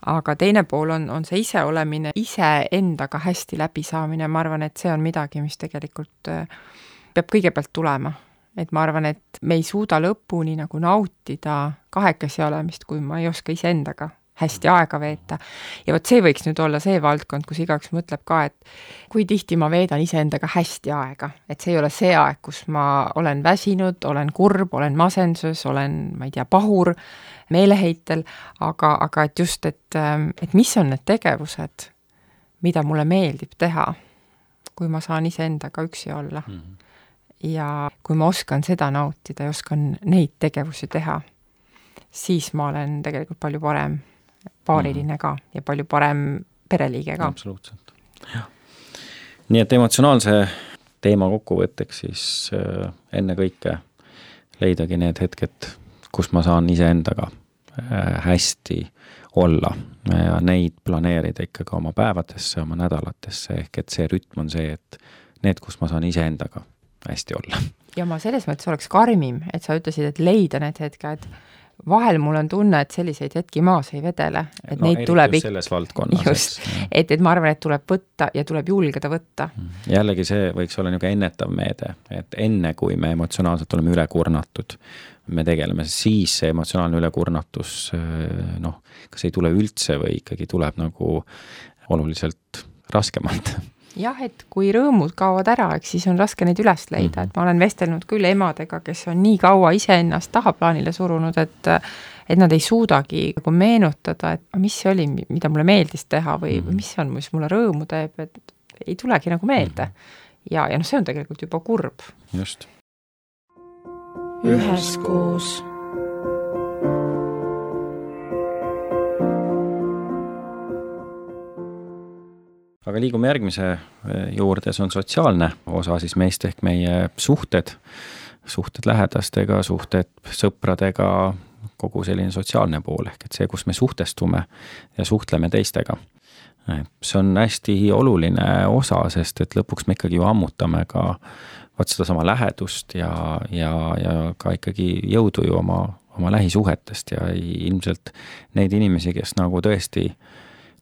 Aga teine pool on see ise olemine, ise endaga hästi läbi saamine. Ma arvan, et see on midagi, mis tegelikult peab kõigepealt tulema. Et ma arvan, et me ei suuda lõpuni nagu nautida kahekesi olemist, kui ma ei oska ise endaga hästi aega veeta. Ja vot see võiks nüüd olla see valdkond, kus igaüks mõtleb ka, et kui tihti ma veedan iseendaga hästi aega, et see ei ole see aeg, kus ma olen väsinud, olen kurb, olen masenduses, olen, ma ei tea, pahur, meeleheitel, aga et just, et mis on need tegevused, mida mulle meeldib teha, kui ma saan iseendaga üksi olla. Ja kui ma oskan seda nautida ja oskan neid tegevusi teha, siis ma olen tegelikult palju parem paariline ka ja palju parem pereliige ka. Absoluutselt. Ja. Nii et emotsionaalse teema kokkuvõtteks siis enne kõike leidagi need hetked, kus ma saan iseendaga hästi olla ja neid planeerida ikkagi oma päevadesse, oma nädalatesse, ehk et see rütm on see, et need, kus ma saan iseendaga hästi olla. Ja ma selles mõttes oleks karmim, et sa ütlesid, et leida need hetked. Vahel mul on tunne, et selliseid hetki maas ei vedele. Et neid tuleb selles valdkonnas. Just, et ma arvan, et tuleb võtta ja tuleb julgeda võtta. Jällegi see võiks olla niisugune ennetav meede, et enne kui me emotsionaalselt oleme ülekurnatud, me tegeleme, siis see emotsionaalne ülekurnatus, kas ei tule üldse või ikkagi tuleb nagu oluliselt raskemalt. Jah, et kui rõõmud kaovad ära, eks siis on raske neid üles leida, et ma olen vestelnud küll emadega, kes on nii kaua iseennast tahaplaanile surunud, et nad ei suudagi meenutada, et mis see oli, mida mulle meeldis teha või mis on, mis mulle rõõmu teeb, et ei tulegi nagu meelde. Ja see on tegelikult juba kurb. Just. Üheskoos. Aga liigume järgmise juurde, see on sotsiaalne osa siis meist ehk meie suhted lähedastega, suhted sõpradega, kogu selline sotsiaalne pool ehk et see, kus me suhtestume ja suhtleme teistega. See on hästi oluline osa, sest et lõpuks me ikkagi ju ammutame ka seda sama lähedust ja ka ikkagi jõudu ju oma lähisuhetest ja ilmselt neid inimesi, kes nagu tõesti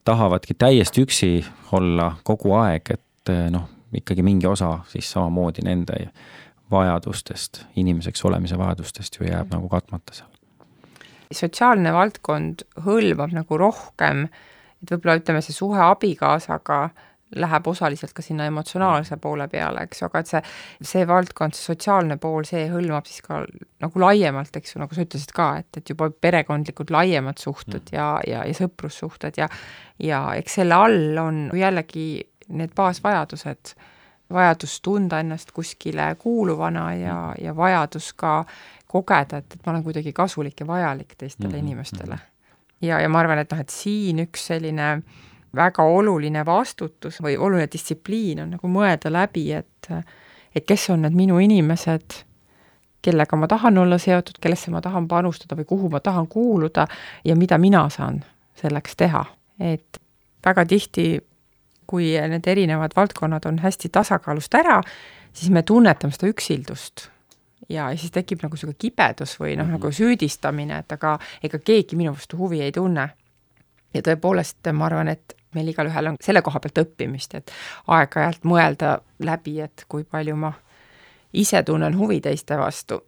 tahavadki täiesti üksi olla kogu aeg, et ikkagi mingi osa siis samamoodi nende vajadustest, inimeseks olemise vajadustest ju jääb nagu katmata seal. Sotsiaalne valdkond hõlmab nagu rohkem, et võib-olla ütleme see suhe abikaasaga läheb osaliselt ka sinna emotsionaalse poole peale, eks, aga et see valdkond, see sotsiaalne pool, see hõlmab siis ka nagu laiemalt, eks ju, nagu sa ütlesid ka, et juba perekondlikud laiemad suhted ja sõprussuhted ja eks selle all on jällegi need baasvajadused, vajadus tunda ennast kuskile kuuluvana ja vajadus ka kogeda, et ma olen kuidagi kasulik ja vajalik teistele inimestele. Ja ma arvan, et siin üks selline väga oluline vastutus või oluline distsipliin on nagu mõelda läbi, et kes on need minu inimesed, kellega ma tahan olla seotud, kellesse ma tahan panustada või kuhu ma tahan kuuluda ja mida mina saan selleks teha. Et väga tihti, kui need erinevad valdkonnad on hästi tasakaalust ära, siis me tunnetame seda üksildust ja siis tekib nagu selline kibedus või nagu süüdistamine, et aga ega keegi minu vastu huvi ei tunne. Ja tõepoolest ma arvan, et meil igalühel on selle koha pealt õppimist, et aeg-ajalt mõelda läbi, et kui palju ma ise tunnen huvi teiste vastu.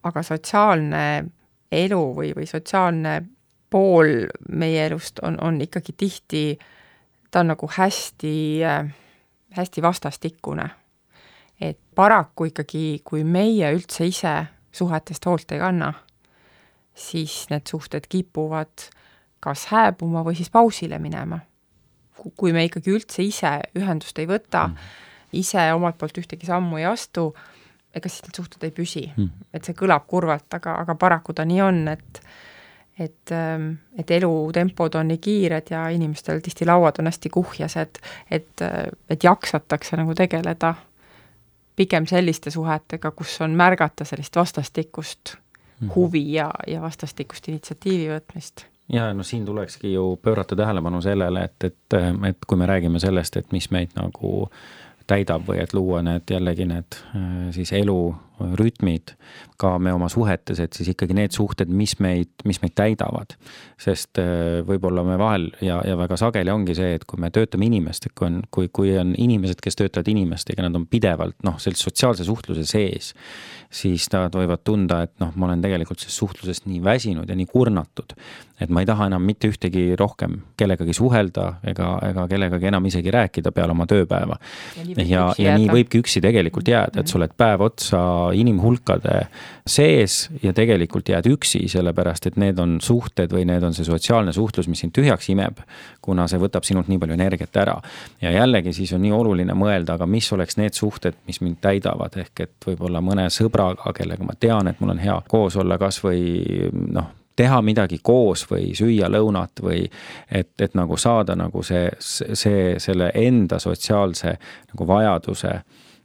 Aga sotsiaalne elu või sotsiaalne pool meie elust on ikkagi tihti, ta on nagu hästi vastastikune. Et paraku ikkagi, kui meie üldse ise suhetest hoolt ei kanna, siis need suhted kipuvad kas hääbuma või siis pausile minema. Kui me ikkagi üldse ise ühendust ei võta, ise omalt poolt ühtegi sammu ei astu, ega siis need suhted ei püsi. Et see kõlab kurvalt, aga paraku ta nii on, et elutempod on nii kiired ja inimestel tihti lauad on hästi kuhjased, et jaksatakse nagu tegeleda pigem selliste suhetega, kus on märgata sellist vastastikust huvi ja vastastikust initsiatiivi võtmist. Ja siin tulekski ju pöörata tähelepanu sellele, et kui me räägime sellest, et mis meid nagu täidab või et luua need jällegi need siis elu rütmid ka me oma suhetes, et siis ikkagi need suhted, mis meid täidavad. Sest võib-olla me vahel ja väga sageli ongi see, et kui me töötame inimestega, kui on inimesed, kes töötavad inimestega, nad on pidevalt sellise sotsiaalse suhtluse sees, siis nad võivad tunda, et ma olen tegelikult sellest suhtlusest nii väsinud ja nii kurnatud, et ma ei taha enam mitte ühtegi rohkem kellegagi suhelda ega kellegagi enam isegi rääkida peale oma tööpäeva. Ja nii võibki üksi tegelikult jääda, et sa oled päev otsa inimhulkade sees ja tegelikult jääd üksi, sellepärast, et need on suhted või need on see sotsiaalne suhtlus, mis sind tühjaks imeb, kuna see võtab sinult nii palju energiat ära. Ja jällegi siis on nii oluline mõelda, aga mis oleks need suhted, mis mind täidavad, ehk et võib-olla mõne sõbraga, kellega ma tean, et mul on hea koos olla kas või teha midagi koos või süüa lõunat või et nagu saada nagu selle enda sotsiaalse nagu vajaduse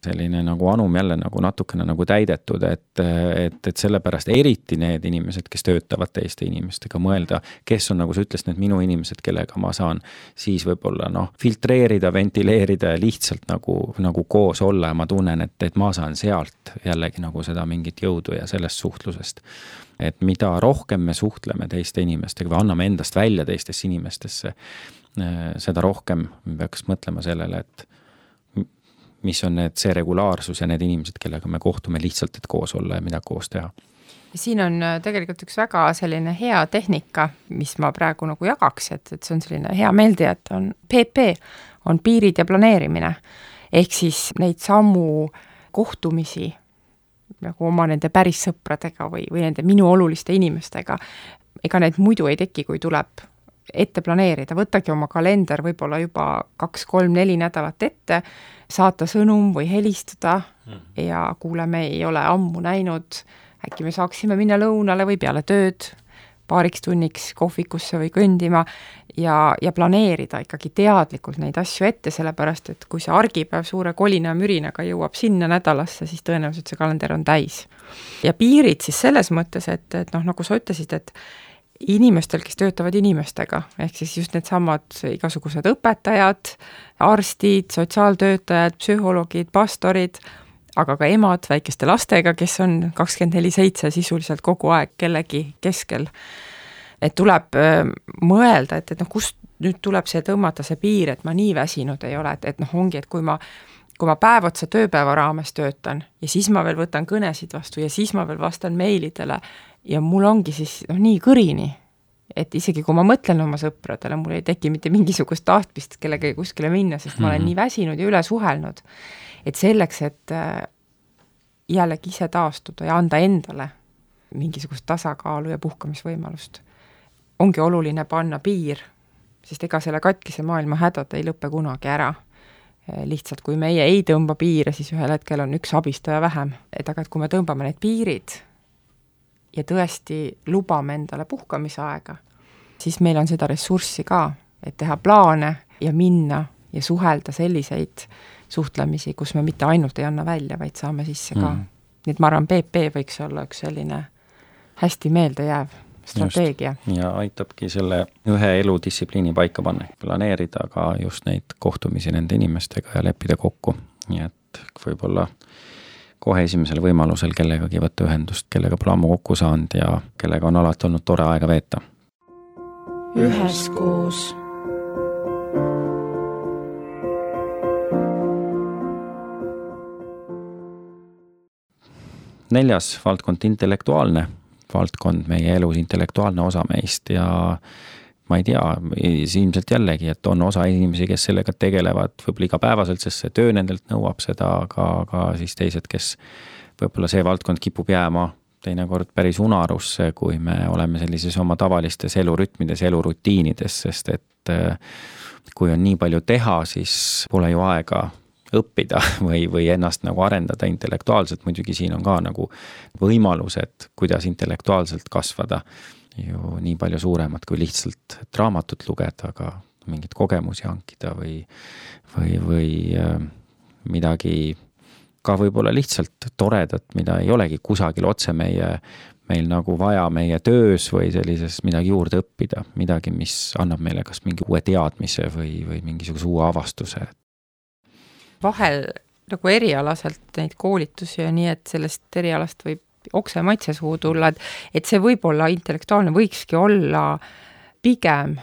selline nagu anum jälle nagu natukene nagu täidetud, et sellepärast eriti need inimesed, kes töötavad teiste inimestega, mõelda, kes on, nagu sa ütlesid, need minu inimesed, kellega ma saan siis võib-olla filtreerida, ventileerida ja lihtsalt nagu koos olla ja ma tunnen, et ma saan sealt jällegi nagu seda mingit jõudu ja sellest suhtlusest. Et mida rohkem me suhtleme teiste inimestega või anname endast välja teistesse inimestesse, seda rohkem me peaks mõtlema sellele, et mis on see regulaarsus ja need inimesed, kellega me kohtume lihtsalt, et koos olla ja mida koos teha. Siin on tegelikult üks väga selline hea tehnika, mis ma praegu nagu jagaks, et see on selline hea meeldija, et on PP, on piirid ja planeerimine. Ehk siis neid sammu kohtumisi nagu oma nende päris sõpradega või nende minu oluliste inimestega, ega need muidu ei teki, kui tuleb ette planeerida, võtagi oma kalender võib-olla juba 2, 3, 4 nädalat ette, saata sõnum või helistada ja kuule, me ei ole ammu näinud, äkki me saaksime minna lõunale või peale tööd paariks tunniks kohvikusse või kõndima ja planeerida ikkagi teadlikult neid asju ette, sellepärast, et kui see argipäev suure kolina ja mürinaga jõuab sinna nädalasse, siis tõenäoliselt see kalender on täis. Ja piirid siis selles mõttes, et nagu sa ütlesid, et inimestel, kes töötavad inimestega, ehk siis just need samad igasugused õpetajad, arstid, sotsiaaltöötajad, psühholoogid, pastorid, aga ka emad väikeste lastega, kes on 24/7 sisuliselt kogu aeg kellegi keskel. Et tuleb mõelda, et kust nüüd tuleb see tõmmata see piir, et ma nii väsinud ei ole, et ongi, et kui ma päev otsa tööpäeva raames töötan ja siis ma veel võtan kõnesid vastu ja siis ma veel vastan meilidele ja mul ongi siis nii kõrini, et isegi kui ma mõtlen oma sõpradele, mul ei teki mitte mingisugust tahtmist kellega kuskile minna, sest ma olen nii väsinud ja üle suhelnud. Et selleks, et jällegi ise taastuda ja anda endale mingisugust tasakaalu ja puhkamisvõimalust, ongi oluline panna piir, sest ega selle katkise maailma hädad ei lõppe kunagi ära. Lihtsalt kui meie ei tõmba piire, siis ühel hetkel on üks abistaja vähem. Et aga kui me tõmbame need piirid ja tõesti lubame endale puhkamisaega, siis meil on seda ressurssi ka, et teha plaane ja minna ja suhelda selliseid suhtlemisi, kus me mitte ainult ei anna välja, vaid saame sisse ka. Nii et ma arvan, PP võiks olla üks selline hästi meeldejääv strateegia. Just. Ja aitabki selle ühe eludistsipliini paika panna, planeerida ka just neid kohtumisi nende inimestega ja leppida kokku. Nii et võib-olla kohe esimesel võimalusel kellegagi võtta ühendust, kellega pole ammu kokku saanud ja kellega on alati olnud tore aega veeta. Üheskoos. Neljas valdkond, intellektuaalne valdkond, meie elus intellektuaalne osa meist ja ma ei tea, ilmselt jällegi, et on osa inimesi, kes sellega tegelevad võib-olla igapäevaselt, sest see töö nendelt nõuab seda, aga siis teised, kes võib-olla see valdkond kipub jääma teinekord päris unarusse, kui me oleme sellises oma tavalistes elurütmides, elurutiinides, sest et kui on nii palju teha, siis pole ju aega õppida või ennast nagu arendada intellektuaalselt, muidugi siin on ka nagu võimalused, kuidas intellektuaalselt kasvada ju nii palju suuremad kui lihtsalt raamatut lugeda, aga mingit kogemusi hankida või midagi ka võib-olla lihtsalt toredat, mida ei olegi kusagil otse meil nagu vaja meie töös või sellises midagi juurde õppida, midagi, mis annab meile kas mingi uue teadmise või mingisuguse uue avastuse. Vahel nagu erialaselt neid koolitusi ja nii, et sellest erialast võib okse maitse suhu tulla, et see võib-olla intellektuaalne võikski olla pigem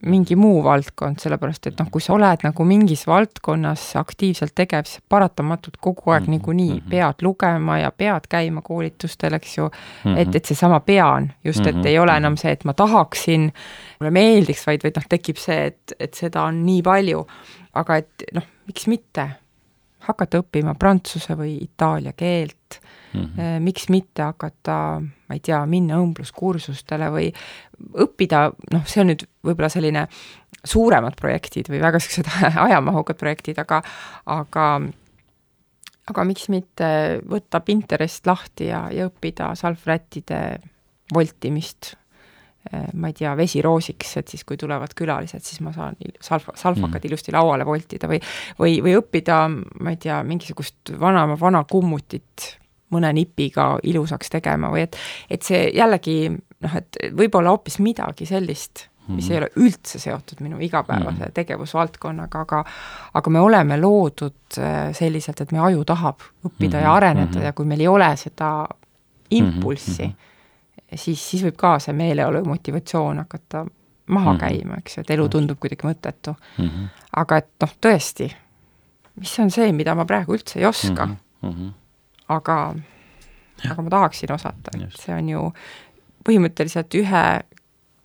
mingi muu valdkond, sellepärast et kui sa oled nagu mingis valdkonnas aktiivselt tegev, siis paratamatult kogu aeg niikuinii pead lugema ja pead käima koolitustel, eks ju, et seesama pean, just, et ei ole enam see, et ma tahaksin, mulle meeldiks, vaid tekib see, et seda on nii palju, aga et miks mitte hakata õppima prantsuse või itaalia keelt, miks mitte hakata, ma ei tea, minna õmbluskursustele või õppida, see on nüüd võib-olla selline suuremad projektid või väga sellised ajamahukad projektid, aga miks mitte võtta Pinterest lahti ja õppida salvrättide voltimist, ma ei tea, vesiroosiks, et siis kui tulevad külalised, siis ma saan salvakad ilusti lauale voltida või õppida, ma ei tea, mingisugust vana kummutit mõne nipiga ilusaks tegema või et see jällegi, et võib-olla hoopis midagi sellist, mis ei ole üldse seotud minu igapäevase tegevusvaldkonnaga, aga me oleme loodud selliselt, et meie aju tahab õppida ja areneda ja kui meil ei ole seda impulssi, siis võib ka see meeleolu ja motivatsioon hakata maha käima, eks ju, et elu tundub kuidagi mõttetu. Aga et tõesti, mis on see, mida ma praegu üldse ei oska, aga ma tahaksin osata, et see on ju põhimõtteliselt ühe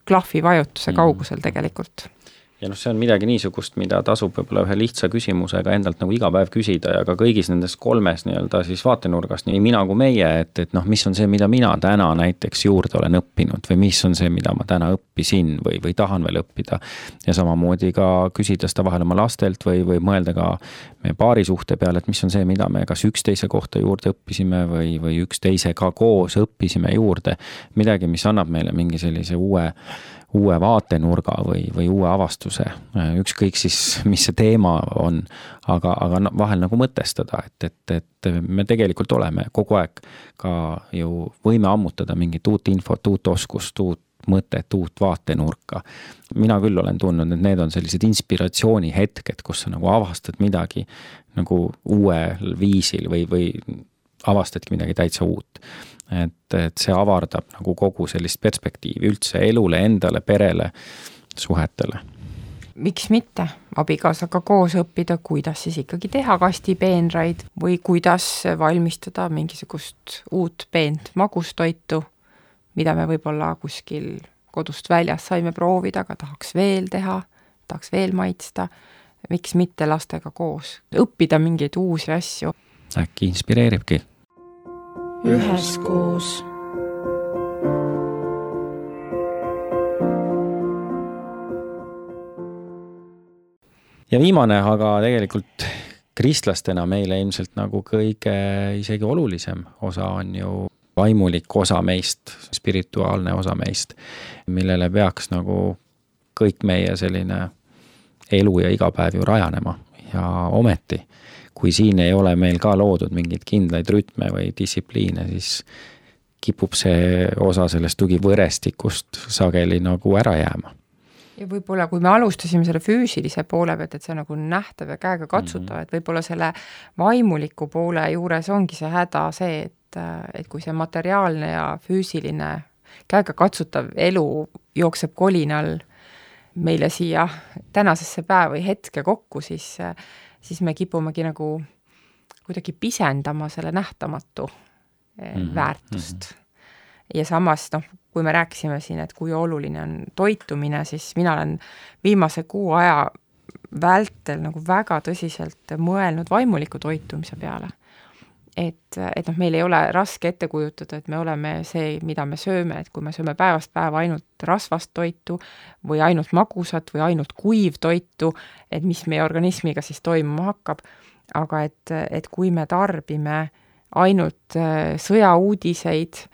klahvi vajutuse kaugusel tegelikult. Ja see on midagi niisugust, mida tasub võib-olla ühe lihtsa küsimusega endalt nagu iga päev küsida ja ka kõigis nendes kolmes nii-öelda siis vaatenurgast, nii mina kui meie, et mis on see, mida mina täna näiteks juurde olen õppinud või mis on see, mida ma täna õppisin või tahan veel õppida. Ja samamoodi ka küsida seda vahel oma lastelt või mõelda ka meie paarisuhte peale, et mis on see, mida me kas üksteise kohta juurde õppisime või üksteisega koos õppisime juurde. Midagi, mis annab meile mingi sellise uue vaatenurga või uue avastuse, ükskõik siis, mis see teema on, aga vahel nagu mõtestada, et me tegelikult oleme kogu aeg ka ju võime ammutada mingit uut infot, uut oskust, uut mõtet, uut vaatenurka. Mina küll olen tundnud, et need on sellised inspiratsiooni hetked, kus sa nagu avastad midagi nagu uuel viisil või avastadki midagi täitsa uut. Et see avardab nagu kogu sellist perspektiivi üldse elule, endale, perele, suhetele. Miks mitte abikaasaga koos õppida, kuidas siis ikkagi teha kastipeenraid või kuidas valmistada mingisugust uut peent magustoitu, mida me võib-olla kuskil kodust väljas saime proovida, aga tahaks veel teha, tahaks veel maitsta. Miks mitte lastega koos õppida mingeid uusi asju? Äkki inspireeribki. Üheskoos. Ja viimane, aga tegelikult kristlastena meile ilmselt nagu kõige isegi olulisem osa on ju vaimulik osa meist, spirituaalne osa meist, millele peaks nagu kõik meie selline elu ja igapäev ju rajanema ja ometi. Kui siin ei ole meil ka loodud mingeid kindlaid rütme või distsipliine, siis kipub see osa sellest tugivõrestikust sageli nagu ära jääma. Ja võib-olla, kui me alustasime selle füüsilise poole pealt, et see on nagu nähtav ja käega katsutav, et võib-olla selle vaimuliku poole juures ongi see häda see, et kui see materiaalne ja füüsiline käega katsutav elu jookseb kolinal meile siia tänasesse päeva või hetke kokku, siis me kipumegi nagu kuidagi pisendama selle nähtamatu väärtust. Ja samas, kui me rääkisime siin, et kui oluline on toitumine, siis mina olen viimase 6 aja vältel nagu väga tõsiselt mõelnud vaimuliku toitumise peale. Et meil ei ole raske ette kujutada, et me oleme see, mida me sööme, et kui me sööme päevast päeva ainult rasvast toitu või ainult magusat või ainult kuiv toitu, et mis meie organismiga siis toimuma hakkab, aga et kui me tarbime ainult sõjauudiseid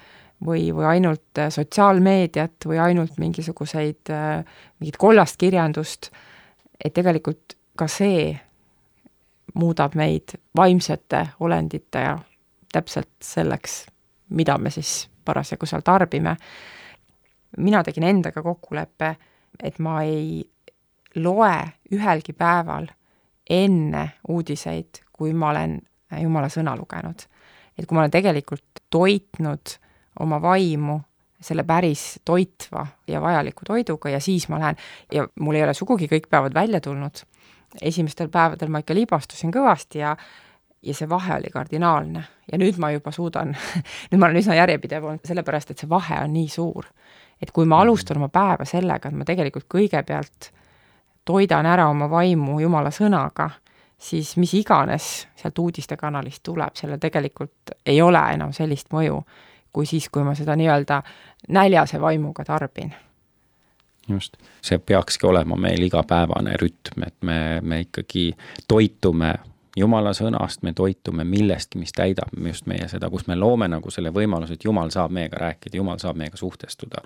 või ainult sotsiaalmeediat või ainult mingit kollast kirjandust, et tegelikult ka see muudab meid vaimsete olendite ja täpselt selleks, mida me siis parasjagu seal tarbime. Mina tegin endaga kokkuleppe, et ma ei loe ühelgi päeval enne uudiseid, kui ma olen Jumala sõna lugenud. Et kui ma olen tegelikult toitnud oma vaimu selle päris toitva ja vajaliku toiduga ja siis ma lähen ja mul ei ole sugugi kõik päevad välja tulnud. Esimestel päevadel ma ikka libastusin kõvasti ja see vahe oli kardinaalne. Ja nüüd ma juba suudan, nüüd ma olen üsna järjepidev olnud sellepärast, et see vahe on nii suur. Et kui ma alustan oma päeva sellega, et ma tegelikult kõigepealt toidan ära oma vaimu Jumala sõnaga, siis mis iganes sealt uudistekanalist tuleb, selle tegelikult ei ole enam sellist mõju, kui siis, kui ma seda nii-öelda näljase vaimuga tarbin. Just. See peakski olema meil igapäevane rütm, et me ikkagi toitume Jumala sõnast, me toitume millestki, mis täidab just meie seda, kus me loome nagu selle võimaluse, et Jumal saab meiega rääkida, Jumal saab meiega suhtestuda.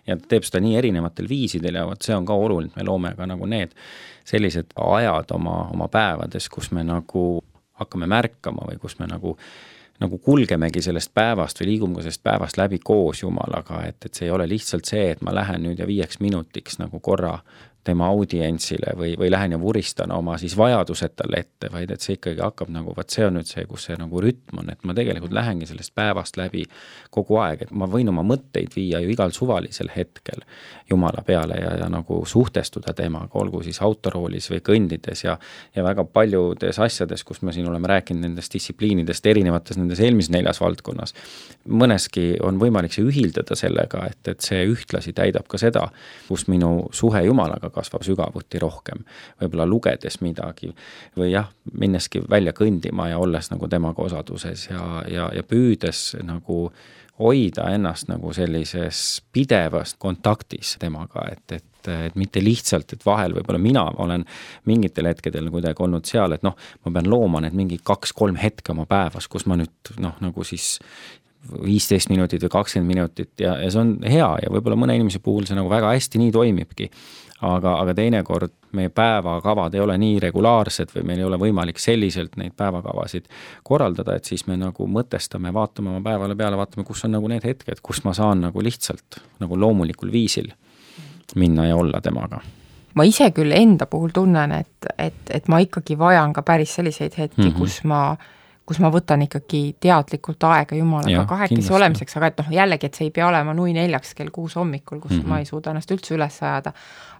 Ja ta teeb seda nii erinevatel viisidel ja see on ka oluline, me loome ka nagu need sellised ajad oma päevades, kus me nagu hakkame märkama või kus me nagu kulgemegi sellest päevast või liigume sellest päevast läbi koos Jumalaga, et see ei ole lihtsalt see, et ma lähen nüüd ja 5 minutiks nagu korra tema audientsile või lähen ja vuristan oma siis vajadused talle ette, vaid et see ikkagi hakkab nagu, see on nüüd see, kus see nagu rütm on, et ma tegelikult lähengi sellest päevast läbi kogu aeg, et ma võin oma mõtteid viia ju igal suvalisel hetkel Jumala peale ja nagu suhtestuda temaga, olgu siis autoroolis või kõndides ja väga paljudes asjades, kus me siin oleme rääkinud nendest distsipliinidest erinevates nendes eelmises 4 valdkonnas. Mõneski on võimalik see ühildada sellega, et see ühtlasi täidab ka seda, kus minu suhe Jumalaga kasvab sügavuti rohkem, võib-olla lugedes midagi või minneski välja kõndima ja olles nagu temaga osaduses ja püüdes nagu hoida ennast nagu sellises pidevas kontaktis temaga, et mitte lihtsalt, et vahel võib-olla mina olen mingitel hetkedel kuidagi olnud seal, et ma pean looma need mingi 2-3 hetke oma päevas, kus ma nüüd nagu siis 15 minutit või 20 minutit ja see on hea ja võib-olla mõne inimese puhul see nagu väga hästi nii toimibki. Aga teinekord meie päevakavad ei ole nii regulaarsed või meil ei ole võimalik selliselt neid päevakavasid korraldada, et siis me nagu mõtestame, vaatame oma päevale peale, vaatame, kus on nagu need hetked, kus ma saan nagu lihtsalt nagu loomulikul viisil minna ja olla temaga. Ma ise küll enda puhul tunnen, et ma ikkagi vajan ka päris selliseid hetki, kus ma võtan ikkagi teadlikult aega Jumalaga kahekesi olemiseks, aga et jällegi, et see ei pea olema 4 kell 6 hommikul, kus ma ei suuda ennast üldse üles ajada,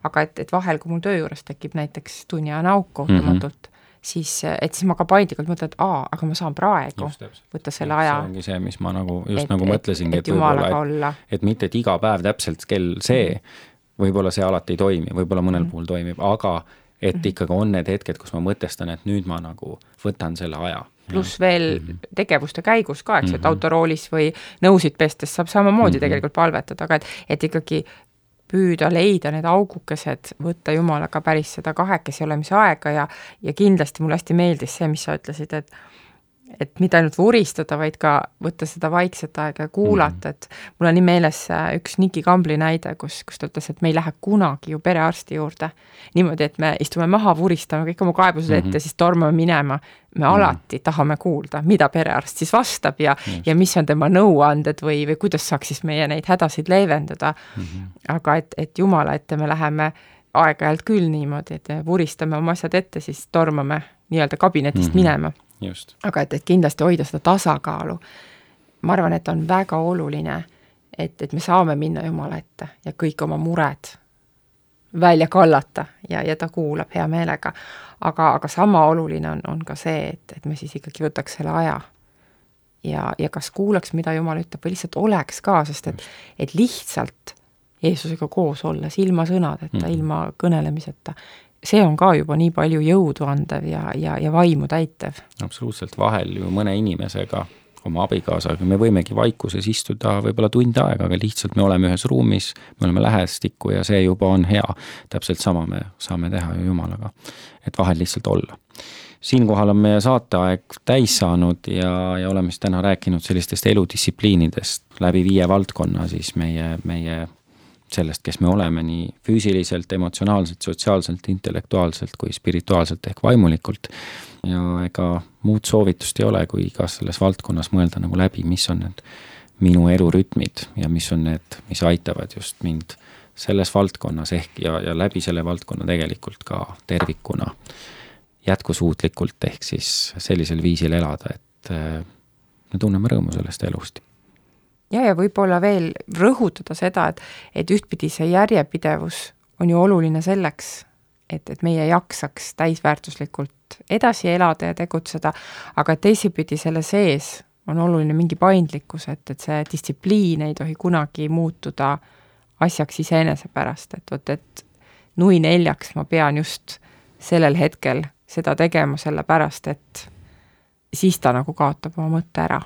aga et vahel, kui mul töö juures tekib näiteks tunniajane auk kohtumatult, siis ma ka paindlikult mõtlen, et aga ma saan praegu võtta selle aja. See ongi see, mis ma nagu nagu mõtlesingi, et Jumalaga olla. Et mitte, et iga päev täpselt kell see, võib-olla see alati ei toimi, võib-olla mõnel puhul toimib, aga et ikkagi on need hetked, kus ma mõtestan, et nüüd ma nagu võtan selle aja. Pluss veel tegevuste käigus ka, eks, et autoroolis või nõusid pestes saab samamoodi tegelikult palvetada, aga et ikkagi püüda leida need augukesed, võtta Jumalaga päris seda kahekesi olemise aega ja kindlasti mulle hästi meeldis see, mis sa ütlesid, et mitte ainult vuristada, vaid ka võtta seda vaikset aega ja kuulata, et mul on nii meeles üks Niki Kambli näide, kus ta ütles, et me ei lähe kunagi ju perearsti juurde niimoodi, et me istume maha, vuristame kõik oma kaebused ette, siis tormame minema. Me alati tahame kuulda, mida perearst siis vastab ja mis on tema nõuanded või kuidas saaks siis meie neid hädasid leevendada. Aga et Jumala ette me läheme aeg-ajalt küll niimoodi, et vuristame oma asjad ette, siis tormame nii-öelda kabinetist minema. Just. Aga et kindlasti hoida seda tasakaalu. Ma arvan, et on väga oluline, et me saame minna Jumala ette ja kõik oma mured välja kallata ja ta kuulab hea meelega. Aga sama oluline on ka see, et me siis ikkagi võtaks selle aja ja kas kuulaks, mida Jumal ütleb või lihtsalt oleks ka, sest et lihtsalt Jeesusega koos olles, ilma sõnadeta, ilma kõnelemiseta, see on ka juba nii palju jõudu andev ja vaimu täitev. Absoluutselt, vahel ju mõne inimesega, oma abikaasaga, me võimegi vaikuses istuda võib-olla tund aega, aga lihtsalt me oleme ühes ruumis, me oleme lähestikku ja see juba on hea. Täpselt sama me saame teha ju Jumalaga, et vahel lihtsalt olla. Siinkohal on meie saateaeg täis saanud ja oleme siis täna rääkinud sellistest eludistsipliinidest läbi 5 valdkonna siis meie sellest, kes me oleme nii füüsiliselt, emotsionaalselt, sotsiaalselt, intellektuaalselt kui spirituaalselt ehk vaimulikult. Ja ega muud soovitust ei ole, kui igas selles valdkonnas mõelda nagu läbi, mis on need minu elurütmid ja mis on need, mis aitavad just mind selles valdkonnas ehk ja läbi selle valdkonna tegelikult ka tervikuna jätkusuutlikult ehk siis sellisel viisil elada, et me tunneme rõõmu sellest elust. Ja võib-olla veel rõhutada seda, et ühtpidi see järjepidevus on ju oluline selleks, et meie jaksaks täisväärtuslikult edasi elada ja tegutseda, aga teisipidi selle sees on oluline mingi paindlikkus, et see distsipliin ei tohi kunagi muutuda asjaks iseenese pärast, et 4:00 ma pean just sellel hetkel seda tegema selle pärast, et siis ta nagu kaotab oma mõtte ära.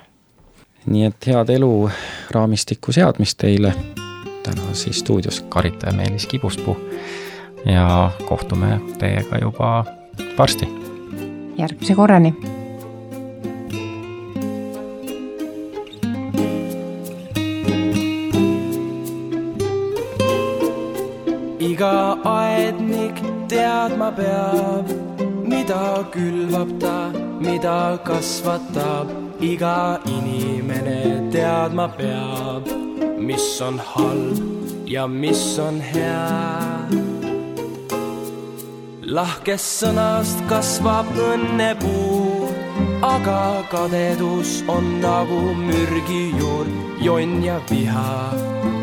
Nii et head elu raamistiku seadmist teile. Täna siis stuudios Karita ja Meelis Kibuspuu ja kohtume teiega juba varsti. Järgmise korrani. Iga aednik teadma peab, mida külvab ta, mida kasvatab. Iga inimene teadma peab, mis on halb ja mis on hea. Lahkest sõnast kasvab õnnepuu, aga kadedus on nagu mürgijuur. Jonn ja viha,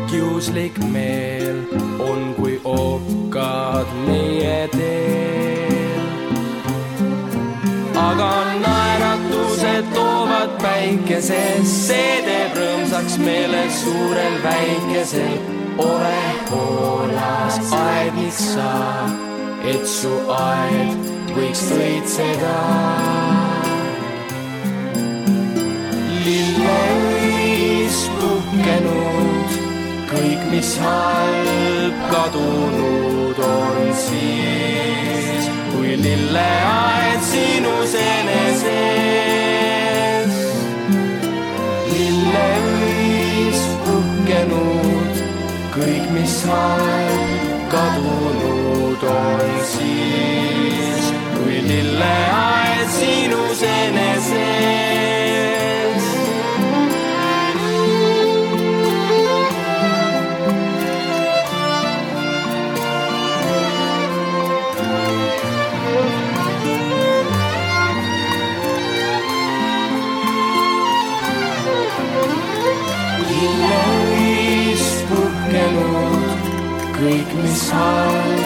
kiuslik meel on kui okkad meie teel. Aga naeratused toovad päikesest, see teeb rõõmsaks meele suurel väikesel. Ole hoolas, aednik sa, et su aed võiks õitseda. Lilleõis puhkenud, kõik mis halb kadunud on siis, kui lilleaed sinus eneses. Lilleõis puhkenud, kõik mis halb kadunud on siis, kui lilleaed sinus eneses. Lilleõis puhkenud, kõik mis halb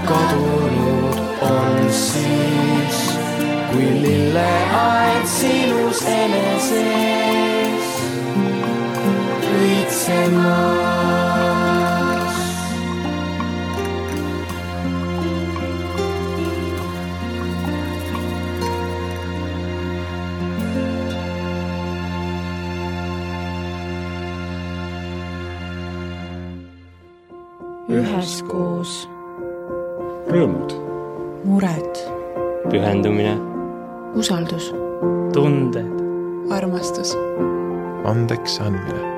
kadunud on siis, kui lilleaed sinus eneses õitsemas. Üheskoos. Rõõmud. Mured. Pühendumine. Usaldus. Tunded. Armastus. Andeks andmine.